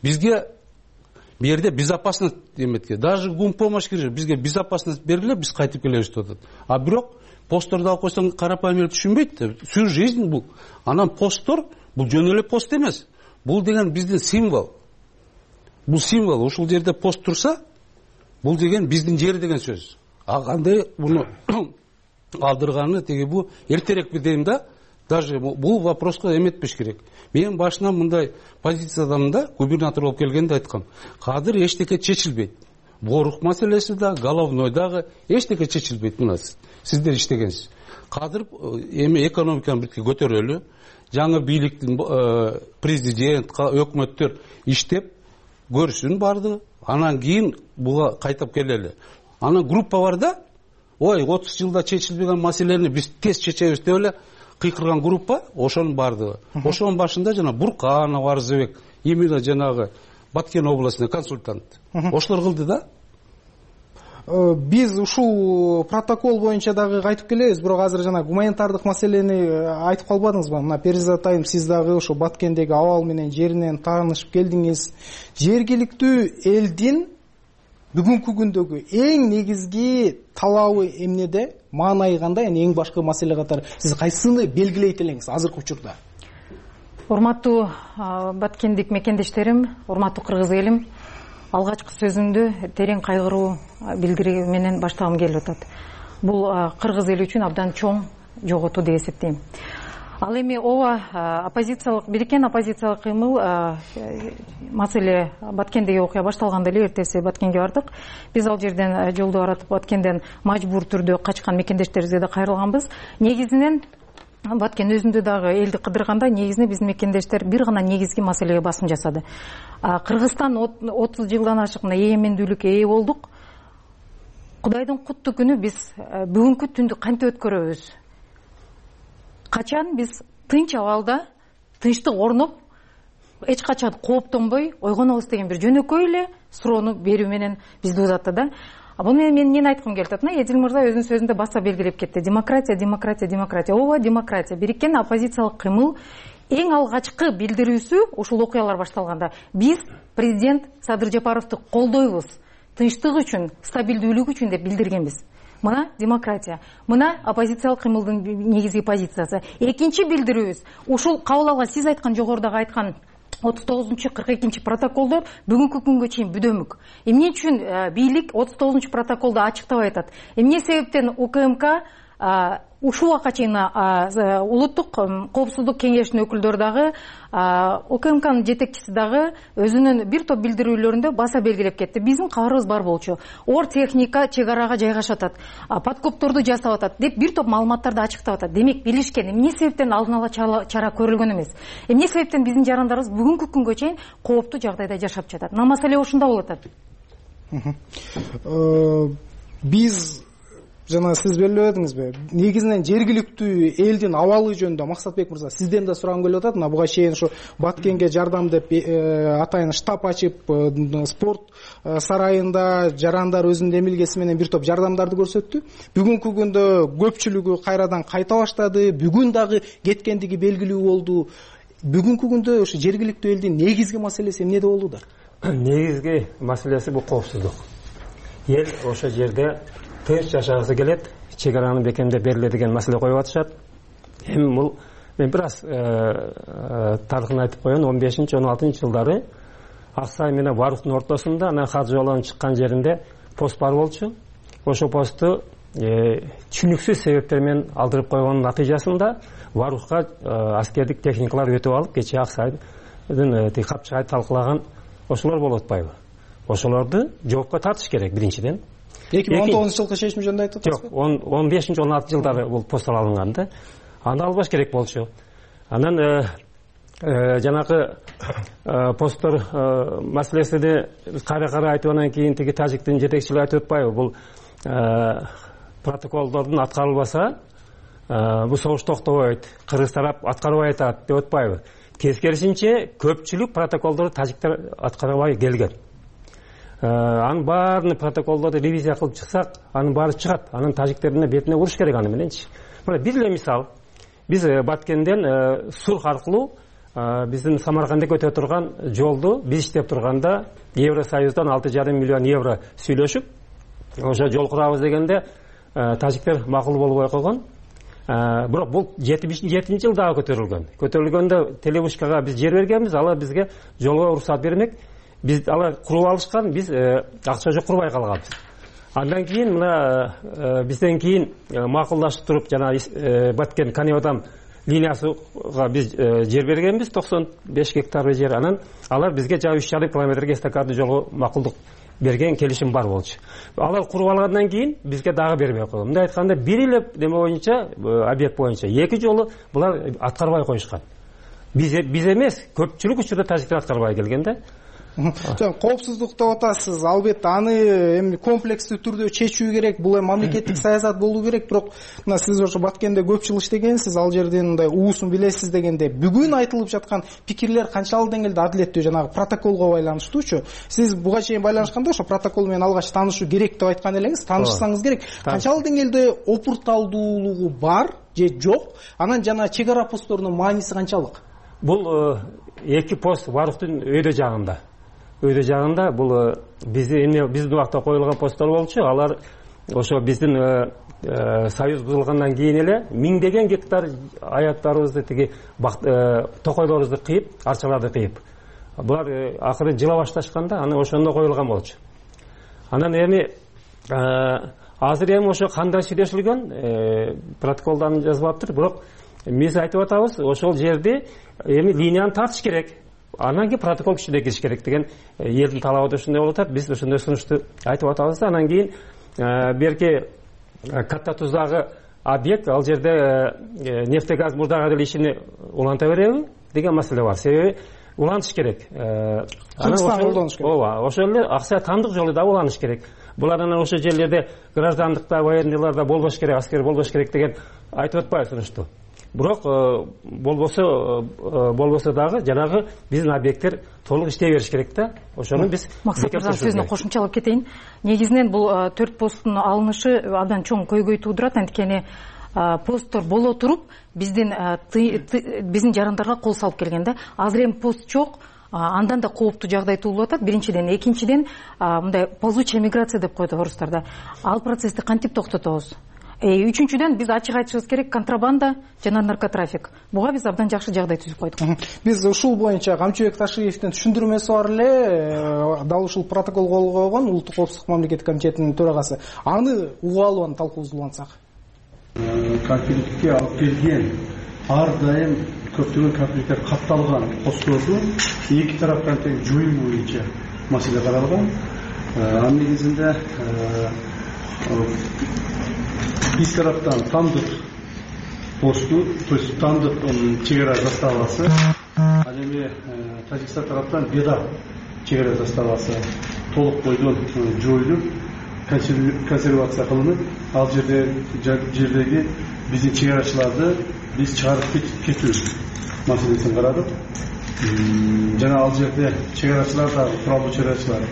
бизге бу жерде безопасность эметке, даже гумпомощь кирет, бизге безопасность бергиле, биз кайтып келебиз деп атат. А бирок постторду алып койсоң, карапайым эл түшүнбөйт. Всю жизнь бул. Анан посттор бул жөн эле пост эмес. Бул деген биздин символ. Бул символ. Ушул жерде пост турса, бул деген биздин жер деген сөз. А кандай буну алдырганы теги бу эртерээк дейм да, даже бул вопроско эметпеш керек. Мен башынан мындай позициядамын да, губернатор болуп келгенде айткам. Кадыр эчтеке чечилбейт. Борук маселеси да, головной дагы эчтеке чечилбейт. Мына сиздер иштегенсиз. Кадыр эми экономиканы бирге көтөрөлү. Жаңы бийликтин президент, өкмөттөр иштеп көрсүн барды. Анан кийин буга кайтып келели. Анан группа бар да, ой, отуз жылда чечилбеген маселени биз тез чечебиз деп эле кыйкырган группа, ошонун бардыгы. Ошонун башында жана Бурканов, Арзыбек, именно жанагы Баткен областный консультант. Ошолор кылды да. Биз ушул протокол боюнча дагы кайтып келебиз, бирок азыр жана гуманитардык маселени айтып калбадыңызбы? Мына Перизат айым, сиз дагы ошо Баткендеги абал менен жеринен таанышып келдиңиз. Жергиликтүү элдин бүгүнкү күндөгү эң негизги талабы эмнеде? Маанайы кандай? Эң башкы маселе катары сиз кайсыны белгилейт элеңиз азыркы учурда? Урматтуу Баткендик мекендештерим, урматтуу кыргыз элим, алгачкы сөзүмдү терең кайгыруу билдирүү менен баштагым келип атат. Бул кыргыз эли үчүн абдан чоң жоготуу деп эсептейм. Ал эми ооба оппозициялык, бириккен оппозициялык кыймыл маселе Баткендеги окуя башталганда эле эртеси Баткенге бардык. Биз ал жерден жолдо баратып Баткенден мажбур түрдө качкан мекендештерибизге да кайрылганбыз. Негизинен Баткен өзүндө дагы элди кыдырганда негизинен биздин мекендештер бир гана негизги маселеге басым жасады. Кыргызстан отуз жылдан ашык эгемендүүлүккө ээ болдук. Кудайдын куттуу күнү биз бүгүнкү түндү кантип өткөрөбүз? Качан биз тынч абалда, тынчтык орноп, эч качан кооптонбой ойгонобуз деген бир жөнөкөй эле суроону берүү менен бизди узатты да. Бул менен мен эмнени айткым келип атат? Мына Эдил мырза өзүнүн сөзүндө баса белгилеп кетти. Демократия, демократия, демократия. Ооба, демократия. Бириккен оппозициялык кыймыл эң алгачкы билдирүүсү ушул окуялар башталганда биз президент Садыр Жапаровду колдойбуз. Тынчтык үчүн, стабилдүүлүк үчүн деп билдиргенбиз. Мына демократия. Мына оппозициялык кыймылдын негизги позициясы. Экинчи билдирүүбүз ушул кабыл алган, сиз айткан жогорудагы айткан отуз тогузунчу кырк экинчи протоколдор бүгүнкү күнгө чейин бүдөмүк. Эмне үчүн бийлик отуз тогузунчу протоколду ачыктабай атат? Эмне себептен УКМК ушул убакка чейин улуттук коопсуздук кеңешинин өкүлдөрү дагы, УКМКнын жетекчиси дагы өзүнүн бир топ билдирүүлөрүндө баса белгилеп кетти. Биздин кабарыбыз бар болчу. Ор техника чек арага жайгашып атат, подкопторду жасап атат деп бир топ маалыматтарды ачыктап атат. Демек билишкен. Эмне себептен алдын ала чара көрүлгөн эмес? Эмне себептен биздин жарандарыбыз бүгүнкү күнгө чейин кооптуу жагдайда жашап жатат? Мына маселе ушунда болуп атат. Биз жана сиз белгилеп өтүңүзбү? Негизинен жергиликтүү элдин абалы жөнүндө Максатбек мырза сизден да сурагым келип атат. Мына буга чейин ушу Баткенге жардам деп атайын штаб ачып, спорт сарайында жарандар өзүнүн эмилгеси менен бир топ жардамдарды көрсөттү. Бүгүнкү күндө көпчүлүгү кайрадан кайта баштады. Бүгүн дагы кеткендиги белгилүү болду. Бүгүнкү күндө ушу жергиликтүү элдин негизги маселеси эмнеде болууда? Негизги маселеси бул коопсуздук. Эл ошол жерде тынч жашагысы келет, чек араны бекемдеп бериле деген маселе коюп атышат. Эми бул мен бир аз тарыхын айтып коеюн. он бешинчи он алтынчы жылдары Аксай менен Варуктун ортосунда анан Хажы жолонун чыккан жеринде пост бар болчу. Ошол посту түшүнүксүз себептер менен алдырып койгондун натыйжасында Варукка аскердик техникалар өтүп алып, кечээ Аксайдын капчыгай талкылаган ошолор болуп атпайбы? Ошолорду жоопко тартыш керек биринчиден. эки миң он тогузунчу жылкы чечим жөнүндө айтып атасызбы? Жок, он бешинчи он алтынчы жылдары бул посттор алынган да. Аны албаш керек болчу. Анан жанагы посттор маселесине кайра-кайра айтып анан кийин тиги тажиктин жетекчилери айтып атпайбы? Бул протоколдордун аткарылбаса бул согуш токтобойт, кыргыз тарап аткарбай атат деп атпайбы? тескерисинче көпчүлүк протоколдорду тажиктер аткарбай келген. Анын баарын протоколдорду ревизия кылып чыксак, анын баары чыгат. Анын тажиктерине бетине уруш керек аны мененчи. Мына бир эле мисал. Биз Баткенден Сурх аркылуу биздин Самаркандга өтө турган жолду биз иштеп турганда Евросоюздан алты жарым миллион евро сүйлөшүп, ошо жол курабыз дегенде тажиктер макул болбой койгон. Бирок бул жетимиш жетинчи жылдагы көтөрүлгөн. Көтөрүлгөндө Телебушкага биз жер бергенбиз, алар бизге жолго уруксат бермек. Биз алар куруп алышкан, биз акча жок курбай калганбыз. Андан кийин мына бизден кийин макулдашып туруп жана Баткен Канеодам линиясыга биз жер бергенбиз, токсон беш гектар жер. Анан алар бизге жана үч жарым километрге эстакадный жолго макулдук берген келишим бар болчу. Алар куруп алгандан кийин бизге дагы бербей койгон. Мындай айтканда бир эле неме боюнча, объект боюнча эки жолу булар аткарбай коюшкан. Биз биз эмес, көпчүлүк учурда тажиктер аткарбай келген да. Коопсуздук деп атасыз, албетте аны эми комплекстүү түрдө чечүү керек, бул эми мамлекеттик саясат болуу керек. Бирок мына сиз ошо Баткенде көп жыл иштегенсиз, ал жердин мындай уусун билесиз дегенде, бүгүн айтылып жаткан пикирлер канчалык деңгээлде адилеттүү, жанагы протоколго байланыштуучу? Сиз буга чейин байланышканда ошо протокол менен алгач таанышуу керек деп айткан элеңиз, таанышсаңыз керек. Канчалык деңгээлде опурталдуулугу бар же жок? Анан жана чек ара постторунун мааниси канчалык? Бул эки пост Баруктун өйдө жагында. Өйдө жагында бул биздин биздин убакта коюлган посттор болчу. Алар ошо биздин союз бузулгандан кийин эле миңдеген гектар аяттарыбызды, тиги токойлорубузду кыйып, арчаларды кыйып. Булар акыры жыла башташканда, аны ошондо коюлган болчу. Анан эми азыр эми ошо кандай сүйлөшүлгөн, протоколдон жазылаптыр. Бирок биз айтып атабыз, ошол жерди эми линияны тартыш керек. Анан кийин протокол күчүнө кириш керек деген элдин талабы ошондой болуп атат. Биз ошондой сунушту айтып атабыз да. Анан кийин берки Катта Туздагы объект, ал жерде нефтегаз мурдага деле ишини уланта береби деген маселе бар. Себеби улантыш керек. Кыргызстан колдонуш керек. Ооба, ошол эле акча тандык жолу да уланыш керек. Булар анан ошол жерлерде граждандыкта, военныйларда болбош керек, аскер болбош керек деген айтып атпайбы сунушту. Бирок болбосо болбосо дагы жанагы биздин объекттер толук иштей бериш керек да. Ошону биз Максат мырза сөзүнө кошумчалап кетейин. Негизинен бул төрт посттун алынышы абдан чоң көйгөй туудурат. Анткени посттор боло туруп биздин биздин жарандарга кол салып келген да. Азыр эми пост жок. Андан да кооптуу жагдай туулуп атат. Биринчиден, экинчиден мындай ползучая миграция деп коет орустарда. Ал процессти кантип токтотобуз? Үчүнчүдөн биз ачык айтышыбыз керек, контрабанда жана наркотрафик. Буга биз абдан жакшы жагдай түзүп койдук. Биз ушул боюнча Камчыбек Ташиевдин түшүндүрмөсү бар эле, дал ушул протокол кол койгон Улуттук коопсуздук мамлекеттик комитетинин төрагасы. Аны угуп алып талкуубузду улантсак. Конфликтке алып келген ар дайым көптөгөн конфликттер катталган постторду эки тараптан тең жоюу боюнча маселе каралган. Анын негизинде биз тараптан тандык посту, то есть тандык чек ара заставасы, ал эми Тажикстан тараптан беда чек ара заставасы толук бойдон жоюлуп, консервация кылынып, ал жерде жердеги биздин чек арачыларды биз чыгарып кетүү маселесин карадык. Жана ал жерде чек арачылар да, куралдуу чек арачылар,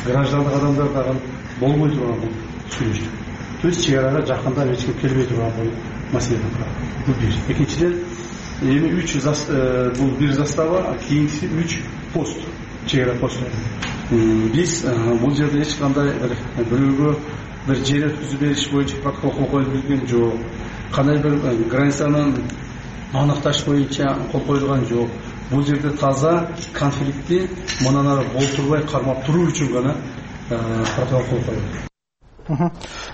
граждандык адамдар дагы болбой турган сүйлөштүк. То есть чек арага жакында эч ким келбей турган маселе бар. Бул бир. Экинчиден, эми үч бул бир застава, кийинкиси үч пост, чек ара посту. Биз бул жерде эч кандай бирөөгө бир жер өткүзүп бериш боюнча протокол кол коюлуп келген жок. Кандай бир границаны аныкташ боюнча кол коюлган жок. Бул жерде таза конфликтти мындан ары болтурбай кармап туруу үчүн гана протокол кол коюлду.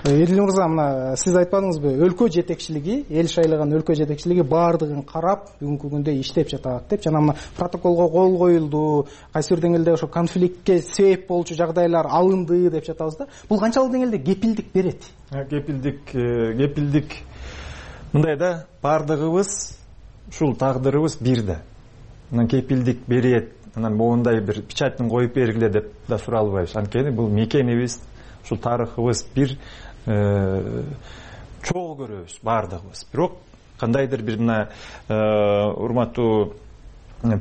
Эдил мырза, мына сиз айтпадыңызбы, өлкө жетекчилиги, эл шайлаган өлкө жетекчилиги баардыгын карап, бүгүнкү күндө иштеп жатат деп, жана мына протоколго кол коюлду, кайсы бир деңгээлде ошо конфликтке себеп болчу жагдайлар алынды деп жатабыз да. Бул канчалык деңгээлде кепилдик берет? Кепилдик, кепилдик мындай да, баардыгыбыз ушул тагдырыбыз бир да. Анан кепилдик берет, анан моундай бир печатьтын коюп бергиле деп да суралбайбыз. Анткени бул мекенибиз, ушул тарыхыбыз бир чогуу көрөбүз баардыгыбыз. Бирок кандайдыр бир мына урматтуу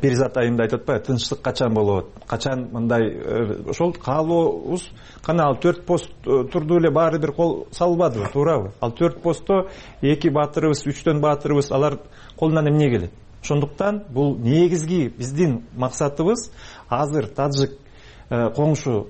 Перизат айым да айтып атпайбы, тынчтык качан болот, качан мындай ошол каалообуз кана ал төрт пост турду эле баары бир кол салбадыбы, туурабы? Ал төрт постто эки баатырыбыз, үчтөн баатырыбыз алар колунан эмне келет? Ошондуктан бул негизги биздин максатыбыз азыр тажик коңшу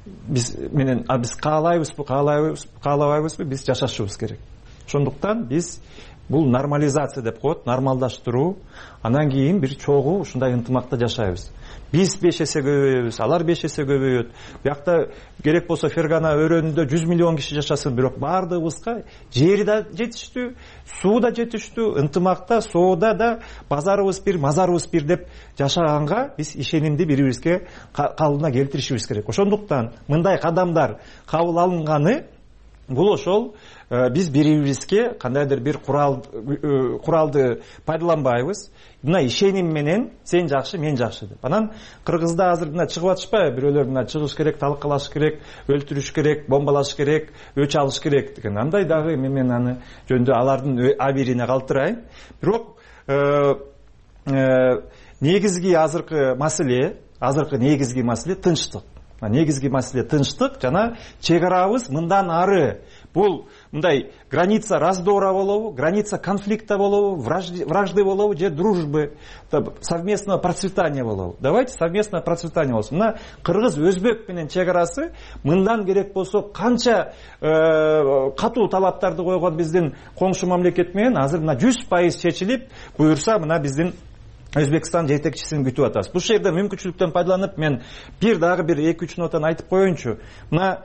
биз менен биз каалайбызбы, каалайбызбы, каалабайбызбы, биз жашашыбыз керек. Ошондуктан биз бул нормализация деп коет, нормалдаштыруу, анан кийин бир чогуу ушундай ынтымакта жашайбыз. Биз беш эсе көбөйөбүз, алар беш эсе көбөйөт. Биякта керек болсо Фергана өрөөнүндө жүз миллион киши жашасын, бирок баардыгыбызга жери да жетиштүү, суу да жетиштүү, ынтымакта, соода да базарыбыз бир, мазарыбыз бир деп жашаганга биз ишенимди бири-бирибизге калыбына келтиришибиз керек. Ошондуктан мындай кадамдар кабыл алынганы бул ошол биз бири-бирибизге кандайдыр бир курал куралды пайдаланбайбыз. Мына ишеним менен сен жакшы, мен жакшы деп. Анан Кыргызда азыр мына чыгып атышпайбы, бирөөлөр мына чыгыш керек, талкалаш керек, өлтүрүш керек, бомбалаш керек, өч алыш керек деген. Андай дагы мен аны жөндө алардын абирине калтырайын. Бирок негизги азыркы маселе, азыркы негизги маселе тынчтык. Негизги маселе тынчтык жана чек арабыз мындан ары. Бул мындай граница раздора болобу, граница конфликта болобу, вражды болобу же дружбы, совместного процветания болобу. Давайте совместное процветание болсун. Мына кыргыз өзбек менен чек арасы мындан керек болсо канча катуу талаптарды койгон биздин коңшу мамлекет менен азыр мына жүз пайыз чечилип, буюрса мына биздин Өзбекстан жетекчисин күтүп атабыз. Бул жерде мүмкүнчүлүктөн пайдаланып мен бир дагы бир эки үч нотаны айтып коеюнчу. Мына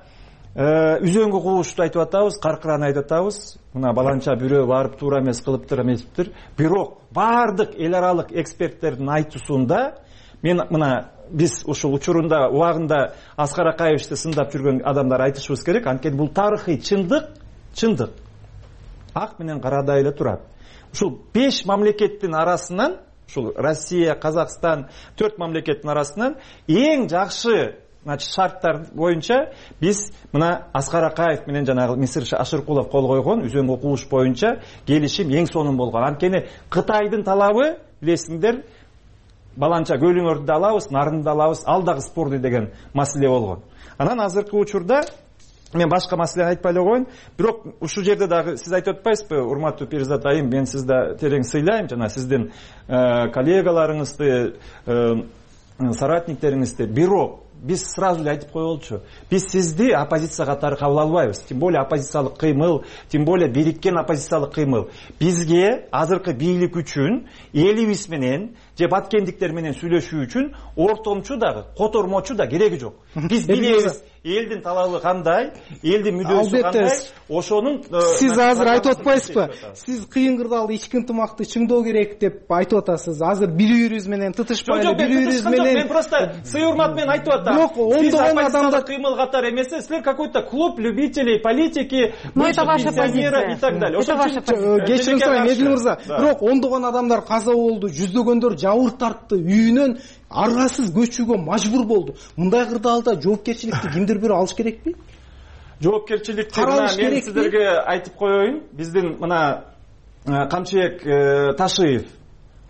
үзөңгү куушту айтып атабыз, каркыраны айтып атабыз. Мына баланча бирөө барып туура эмес кылыптыр, эметиптир. Бирок баардык эл аралык эксперттердин айтуусунда мен мына биз ушул учурунда убагында Аскар Акаевичти сындап жүргөн адамдар айтышыбыз керек. Анткени бул тарыхый чындык, чындык ак менен карадай эле турат. Ушул беш мамлекеттин арасынан, ушул Россия, Казакстан, төрт мамлекеттин арасынан эң жакшы шарттар боюнча биз мына Аскар Акаев менен жанагы Мисир Ашыркулов кол койгон үзөңгү кууш боюнча келишим эң сонун болгон. Анткени Кытайдын талабы билесиңдер, баланча көлүңөрдү да алабыз, нарынды да алабыз, ал дагы спорный деген маселе болгон. Анан азыркы учурда мен башка маселени айтпай эле коеюн. Бирок ушул жерде дагы сиз айтып атпайсызбы, урматтуу Перизат айым, мен сизди терең сыйлайм, жана сиздин коллегаларыңызды, соратниктериңизди. Бирок биз сразу эле айтып коелучу, биз сизди оппозиция катары кабыл албайбыз. Тем более оппозициялык кыймыл, тем более бириккен оппозициялык кыймыл. Бизге азыркы бийлик үчүн, элибиз менен же баткендиктер менен сүйлөшүү үчүн ортомчу дагы, котормочу да кереги жок. Биз билебиз элдин талабы кандай, элдин мүддөсү кандай, ошонун сиз азыр айтып атпайсызбы? Сиз кыйын кырдаалда ички ынтымакты чыңдоо керек деп айтып атасыз. Азыр бири-бирибиз менен тытышпай эле, бири-бирибиз менен мен просто сый урмат менен айтып атам. Бирок ондогон адамдар кыймыл катары эмес, силер какой-то клуб любителей политики, пенсионеров и так далее. Ошон үчүн кечирим сурайм, Эдил мырза. Бирок ондогон адамдар каза болду, жүздөгөндөр жабыр тартты, үйүнөн аргасыз көчүүгө мажбур болду. Мындай кырдаалда жоопкерчиликти кимдир бирөө алыш керекпи? Жоопкерчиликти мен сиздерге айтып коеюн. Биздин мына Камчыбек Ташиев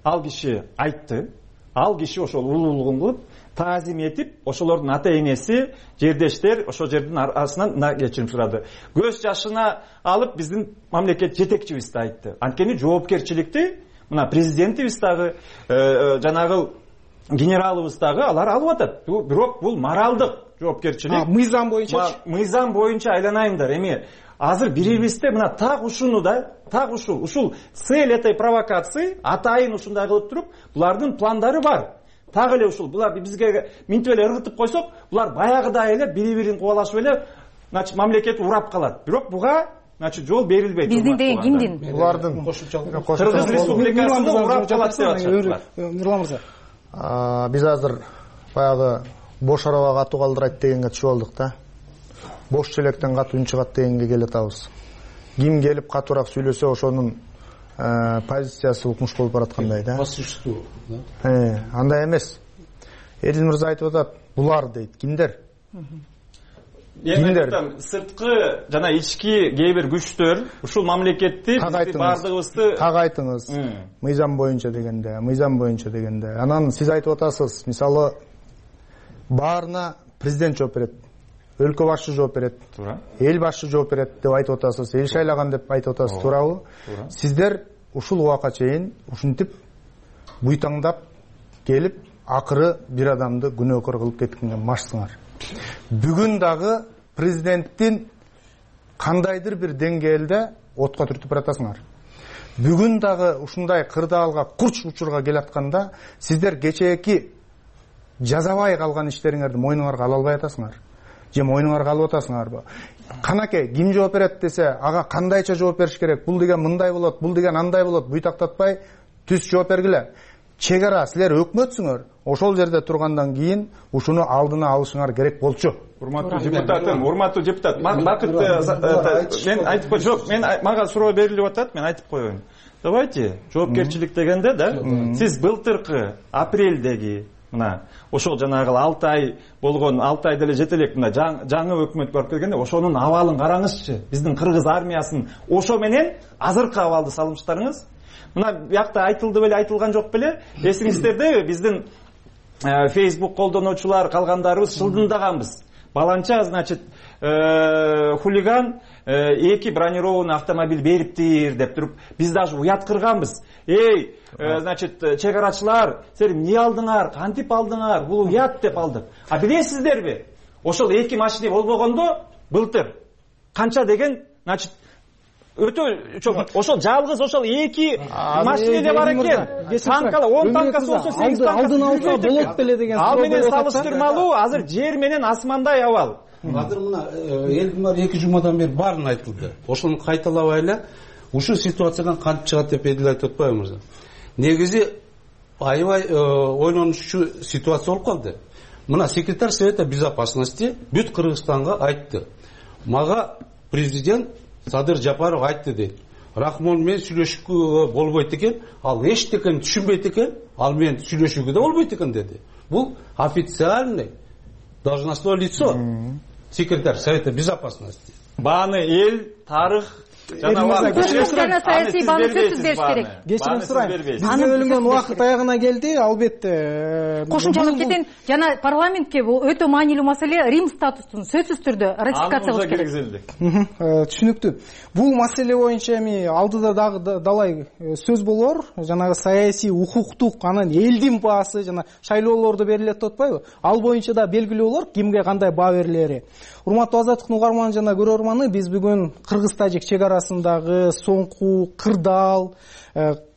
ал киши айтты. Ал киши ошол улуулугун кылып, таазим этип, ошолордун ата энеси, жердештер ошол жердин арасынан кечирим сурады. Көз жашына алып биздин мамлекет жетекчибизди айтты. Анткени жоопкерчиликти мына президентибиз дагы, жанагы генералыбыз дагы алар алып атат. Бирок бул моралдык жоопкерчилик. Мыйзам боюнча, мыйзам боюнча айланайымдар. Эми азыр бирибизде мына так ушуну да, так ушул, ушул цель этой провокации атайын ушундай кылып туруп, булардын пландары бар. Так эле ушул булар бизге минтип эле ыргытып койсок, булар баягыдай эле бири-бирин кубалашып эле, значит, мамлекет урап калат. Бирок буга значит жол берилбейт. Биздин деген кимдин? Булардын Кыргыз Республикасында урап калат деп атышат. Нурлан мырза, биз азыр баягы бош араба катуу калдырайт дегенге түшүп алдык да. Бош челектен катуу үн чыгат дегенге келе атабыз. Ким келип катуураак сүйлөсө ошонун позициясы укмуш болуп бараткандай да. По существу, да? Э, андай эмес. Эдил мырза айтып атат, булар дейт. Кимдер? мен сырткы жана ички кээ бир күчтөр ушул мамлекетти баардыгыбызды так айтыңыз. Мыйзам боюнча дегенде, мыйзам боюнча дегенде. Анан сиз айтып атасыз, мисалы баарына президент жооп берет, өлкө башчы жооп берет, туура. Эл башчы жооп берет деп айтып атасыз, эл шайлаган деп айтып атасыз, туурабы? Сиздер ушул убакка чейин ушинтип буйтаңдап келип, акыры бир адамды күнөөкөр кылып кеткенге машсыңар. Бүгүн дагы президенттин кандайдыр бир деңгээлде отко түртүп баратасыңар. Бүгүн дагы ушундай кырдаалга, курч учурга келатканда сиздер кечээки жазабай калган иштериңерди мойнуңарга ала албай атасыңар. Же мойнуңарга алып атасыңарбы? Канаке, ким жооп берет десе, ага кандайча жооп бериш керек? Бул деген мындай болот, бул деген андай болот, буйтактатпай түз жооп бергиле. Чек ара, силер өкмөтсүңөр. Ошол жерде тургандан кийин ушуну алдына алышыңар керек болчу. Урматтуу депутатым, урматтуу депутат, Бакыт, мен айтып кой, жок, мен мага суроо берилип атат, мен айтып коеюн. Давайте, жоопкерчилик дегенде да, сиз былтыркы апрелдеги мына ошол жанагы алты ай болгон, алты ай деле жете элек, мына жаңы өкмөт барып келгенде ошонун абалын караңызчы. Биздин кыргыз армиясын ошо менен азыркы абалды салымыштарыңыз. Мына биякта айтылды беле, айтылган жок беле? Эсиңиздердеби, биздин Facebook колдонуучулар калгандарыбыз шылдындаганбыз. Баланча, значит, хулиган эки бронированный автомобиль бериптир деп туруп, биз даже уят кырганбыз. Эй, значит, чек арачылар, силер эмне алдыңар, кантип алдыңар, бул уят деп алдык. А билесиздерби? Ошол эки машина болбогондо былтыр канча деген, значит, өтө чоң. Ошол жалгыз ошол эки машина эле бар экен. Танкалар он танкасы болсо сегиз танкасы алдын алса болот беле деген. Ал менен салыштырмалуу азыр жер менен асмандай абал. Азыр мына элдин баары эки жумадан бери баарын айтылды. Ошону кайталабай эле ушул ситуациядан кантип чыгат деп эдил айтып атпайбы мырза? Негизи аябай ойлонучу ситуация болуп калды. Мына секретарь Совета безопасности бүт Кыргызстанга айтты. Мага президент Садыр Жапаров айтты дейт. Рахмон менен сүйлөшүүгө болбойт экен, ал эчтекени түшүнбөйт экен, ал менен сүйлөшүүгө да болбойт экен деди. Бул официальный должностное лицо, секретарь Совета безопасности. Бааны эл, тарых жана саясий бааны сөзсүз бериш керек. Кечирим сурайм. Бизге бөлүнгөн убакыт аягына келди, албетте. Кошумчалап кетейин, жана парламентке бул өтө маанилүү маселе Рим статусун сөзсүз түрдө ратификациялаш керек. Түшүнүктүү. Бул маселе боюнча эми алдыда дагы далай сөз болор, жанагы саясий, укуктук, анан элдин баасы жана шайлоолордо берилет деп атпайбы? Ал боюнча да белгилүү болор, кимге кандай баа берилери. Урматтуу Азаттыктын угарманы жана көрөрманы, биз бүгүн Кыргыз-Тажик чек арасындагы соңку кырдаал,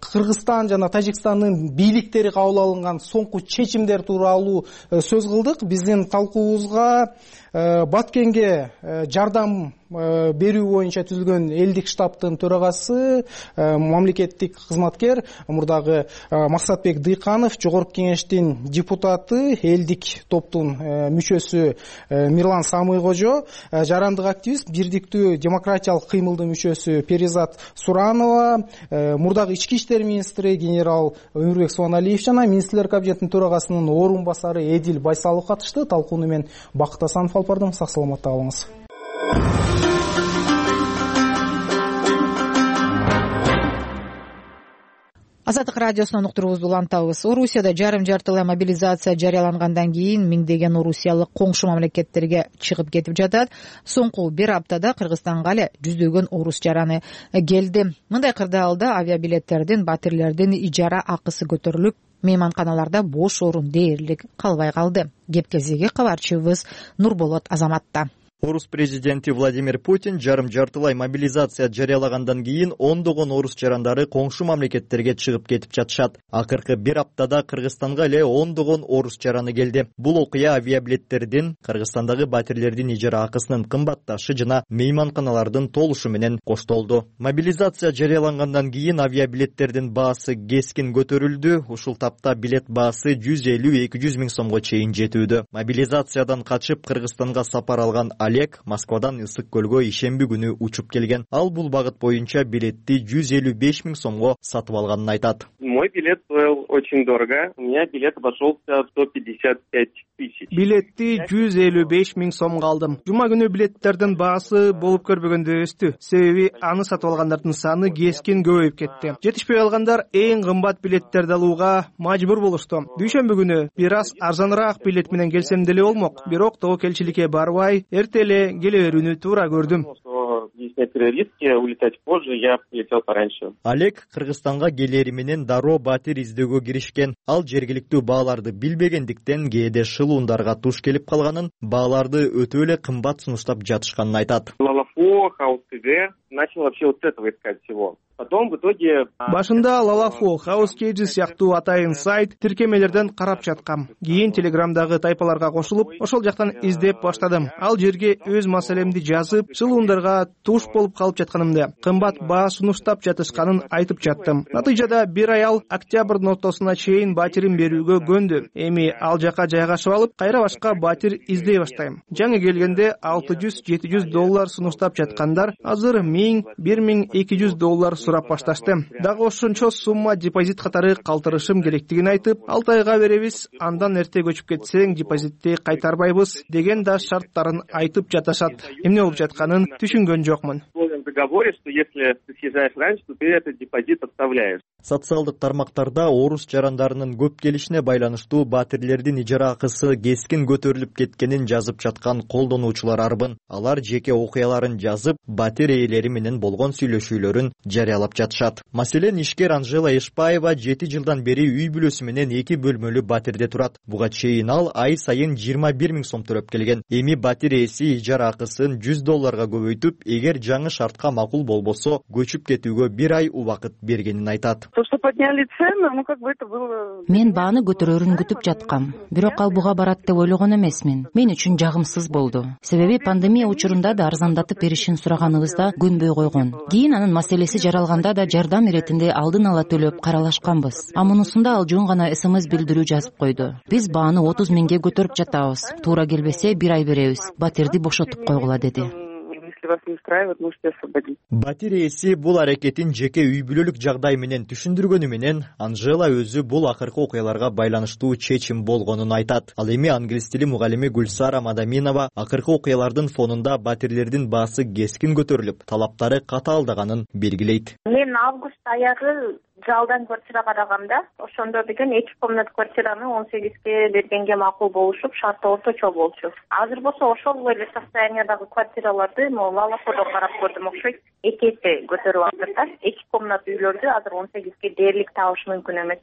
Кыргызстан жана Тажикстандын бийликтери кабыл алынган соңку чечимдер тууралуу сөз кылдык. Биздин талкуубузга Баткенге жардам берүү боюнча түзүлгөн элдик штабтын төрагасы, мамлекеттик кызматкер мурдагы Максатбек Дыйканов, жогорку кеңештин депутаты, элдик топтун мүчөсү Мирлан Самыйкожо, жарандык активист, бирдиктүү демократиялык кыймылдын мүчөсү Перизат Суранова, мурдагы ички иштер министри генерал Өмүрбек Субаналиев жана министрлер кабинетинин төрагасынын орун басары Эдил Байсалов катышты. Талкууну мен Бакыт Асанов алып бардым. Сак саламатта калыңыз. Азаттык радиосунан уктуруубузду улантабыз. Орусияда жарым жартылай мобилизация жарыялангандан кийин миңдеген орусиялык коңшу мамлекеттерге чыгып кетип жатат. Соңку бир аптада Кыргызстанга эле жүздөгөн орус жараны келди. Мындай кырдаалда авиабилеттердин, батирлердин ижара акысы көтөрүлүп, мейманканаларда бош орун дээрлик калбай калды. Кеп кезеги кабарчыбыз Нурболот Азаматта. Орус президенти Владимир Путин жарым жартылай мобилизация жарыялагандан кийин ондогон орус жарандары коңшу мамлекеттерге чыгып кетип жатышат. Акыркы бир аптада Кыргызстанга эле ондогон орус жараны келди. Бул окуя авиабилеттердин, Кыргызстандагы батирлердин ижара акысынын кымбатташы жана мейманканалардын толушу менен коштолду. Мобилизация жарыялангандан кийин авиабилеттердин баасы кескин көтөрүлдү. Ушул тапта билет баасы жүз элүү эки жүз миң сомго чейин жетүүдө. Мобилизациядан качып Кыргызстанга сапар алган Олег Москвадан Ысык көлгө ишемби күнү учуп келген. Ал бул багыт боюнча билетти жүз элүү беш миң сомго сатып алганын айтат. Мой билет стоил очень дорого. У меня билет обошелся в сто пятьдесят пять тысяч. Билетти жүз элүү беш миң сомго алдым. Жума күнү билеттердин баасы болуп көрбөгөндө өстү. Себеби аны сатып алгандардын саны кескин көбөйүп кетти. Жетишпей калгандар эң кымбат билеттерди алууга мажбур болушту. Дүйшөмбү күнү бир аз арзаныраак билет менен келсем деле болмок. Бирок тобокелчиликке барбай, эрте эле келе берүүнү туура көрдүм. Риски улетать позже, я полетел пораньше. Олег Кыргызстанга келери менен дароо батир издөөгө киришкен. Ал жергиликтүү бааларды билбегендиктен кээде шылуундарга туш келип калганын, бааларды өтө эле кымбат сунуштап жатышканын айтат. Лалафо, Хаус ТГ начал вообще вот с этого искать всего. Потом в итоге башында Лалафо, Хаус Кейджи сыяктуу атайын сайт тиркемелерден карап жаткам. Кийин Телеграмдагы тайпаларга кошулуп, ошол жактан издеп баштадым. Ал жерге өз маселемди жазып, шылуундарга туш болуп калып жатканымды, кымбат баа сунуштап жатышканын айтып жаттым. Натыйжада бир аял октябрдын ортосуна чейин батирин берүүгө көндү. Эми ал жака жайгашып алып, кайра башка батир издей баштайм. Жаңы келгенде алты жүз жети жүз доллар сунуштап жаткандар азыр миң бир миң эки жүз доллар сурап башташты. Дагы ошончо сумма депозит катары калтырышым керектигин айтып, алты айга беребиз, андан эрте көчүп кетсең депозитти кайтарбайбыз деген да шарттарын айтып жатышат. Эмне болуп жатканын түшүнгөн жокмун. В договоре, что если ты съезжаешь раньше, то ты этот депозит оставляешь. Социалдык тармактарда орус жарандарынын көп келишине байланыштуу батирлердин ижара акысы кескин көтөрүлүп кеткенин жазып жаткан колдонуучулар арбын. Алар жеке окуяларын жазып, батир ээлери менен болгон сүйлөшүүлөрүн жарыялап жатышат. Маселен, ишкер Анжела Эшпаева жети жылдан бери үй бүлөсү менен эки бөлмөлүү батирде турат. Буга чейин ал ай сайын жыйырма бир миң сом төлөп келген. Эми батир ээси ижара акысын жүз долларга көбөйтүп, эгер жаңы шартка макул болбосо, көчүп кетүүгө бир ай убакыт бергенин айтат. То, что подняли цены, ну как бы это было. Мен бааны көтөрөрүн күтүп жаткам. Бирок ал буга барат деп ойлогон эмесмин. Мен үчүн жагымсыз болду. Себеби пандемия учурунда да арзандатып беришин сураганыбызда көнбөй койгон. Кийин анын маселеси жаралганда да жардам иретинде алдын ала төлөп каралашканбыз. А мунусунда ал жөн гана смс билдирүү жазып койду. Биз бааны отуз миңге көтөрүп жатабыз. Туура келбесе бир ай беребиз. Батирди бошотуп койгула деди. Вас не устраивает, можете освободить. Батир ээси бул аракетин жеке үй бүлөлүк жагдай менен түшүндүргөнү менен Анжела өзү бул акыркы окуяларга байланыштуу чечим болгонун айтат. Ал эми англис тили мугалими Гүлсара Мадаминова акыркы окуялардын фонунда батирлердин баасы кескин көтөрүлүп, талаптары катаалдаганын белгилейт. Мен август аягы жалдан квартира караганда, ошондо деген эки комнат квартираны он сегизге бергенге макул болушуп, шарты орточо болчу. Азыр болсо ошол эле состояниядагы квартираларды Лалафодо карап көрдүм окшойт. Эки эсе көтөрүп алды да. Эки комнат үйлөрдү азыр он сегизге дээрлик табыш мүмкүн эмес.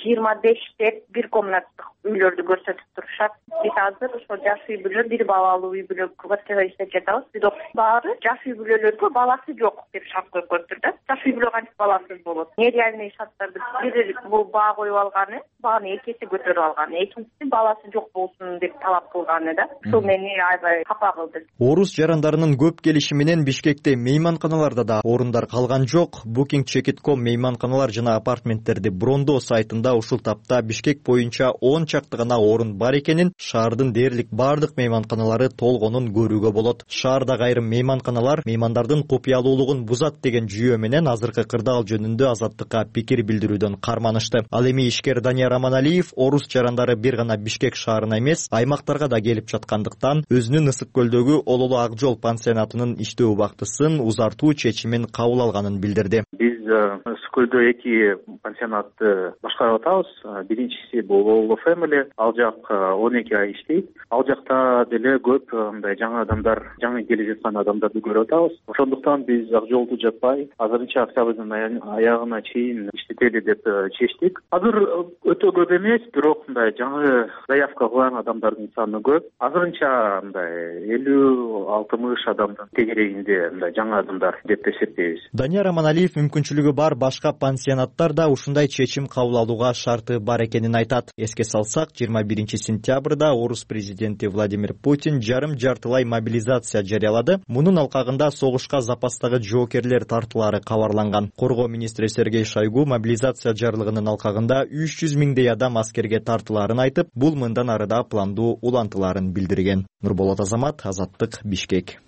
жыйырма беш деп бир комнаттык үйлөрдү көрсөтүп турушат. Биз азыр ошо жаш үй бүлө, бир балалуу үй бүлө квартира иштеп жатабыз. Бирок баары жаш үй бүлөлөргө баласы жок деп шарт коюп коюптур да. Жаш үй бүлө кантип баласыз болот? Нереальный шарттарды бир бул баа коюп алганы, бааны эки эсе көтөрүп алганы, экинчиси баласы жок болсун деп талап кылганы да. Ушул мени аябай капа кылды. Орус жарандарынын көп келиши менен Бишкекте мейманканаларда да орундар калган жок. Booking Check dot com мейманканалар жана апартменттерди брондоо сайтында ушул тапта Бишкек боюнча он чакты гана орун бар экенин, шаардын дээрлик бардык мейманканалары толгонун көрүүгө болот. Шаардагы айрым мейманканалар меймандардын купуялуулугун бузат деген жүйө менен азыркы кырдаал жөнүндө Азаттыкка пикир билдирүүдөн карманышты. Ал эми ишкер Данияр Аманалиев орус жарандары бир гана Бишкек шаарына эмес, аймактарга да келип жаткандыктан өзүнүн Ысык көлдөгү Ололу Ак жол пансионатынын иштөө убактысын узартуу чечимин кабыл алганын билдирди. Биз Ысык көлдө эки пансионатты башкарып атабыз. Биринчиси бул Ололу Family, ал жак он эки ай иштейт. Ал жакта деле көп мындай жаңы адамдар, жаңы келип жаткан адамдарды көрүп атабыз. Ошондуктан биз Ак жолду жаппай, азырынча октябрдын аягына чейин иштетели деп чечтик. Азыр өтө көп эмес, бирок мындай жаңы заявка кылган адамдардын саны көп. Азырынча мындай элүү алтымыш адамдын тегерегинде мындай жаңы адамдар деп эсептейбиз. Данияр Аманалиев мүмкүнчүлүгү бар башка пансионаттар да ушундай чечим кабыл алууга шарты бар экенин айтат. Эске салсак, жыйырма биринчи сентябрда орус президенти Владимир Путин жарым жартылай мобилизация жарыялады. Мунун алкагында согушка запастагы жоокерлер тартылары кабарланган. Коргоо министри Сергей Шойгу мобилизация жарлыгынын алкагында үч жүз миңдей адам аскерге тартылаарын айтып, бул мындан арыда пландуу улантылаарын билдирген. Нурболот Азамат, Азаттык, Бишкек.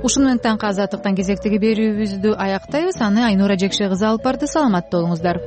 Ушуну менен таңкы Азаттыктан кезектеги берүүбүздү аяктайбыз. Аны Айнура Жекше кызы алып барды. Саламатта болуңуздар.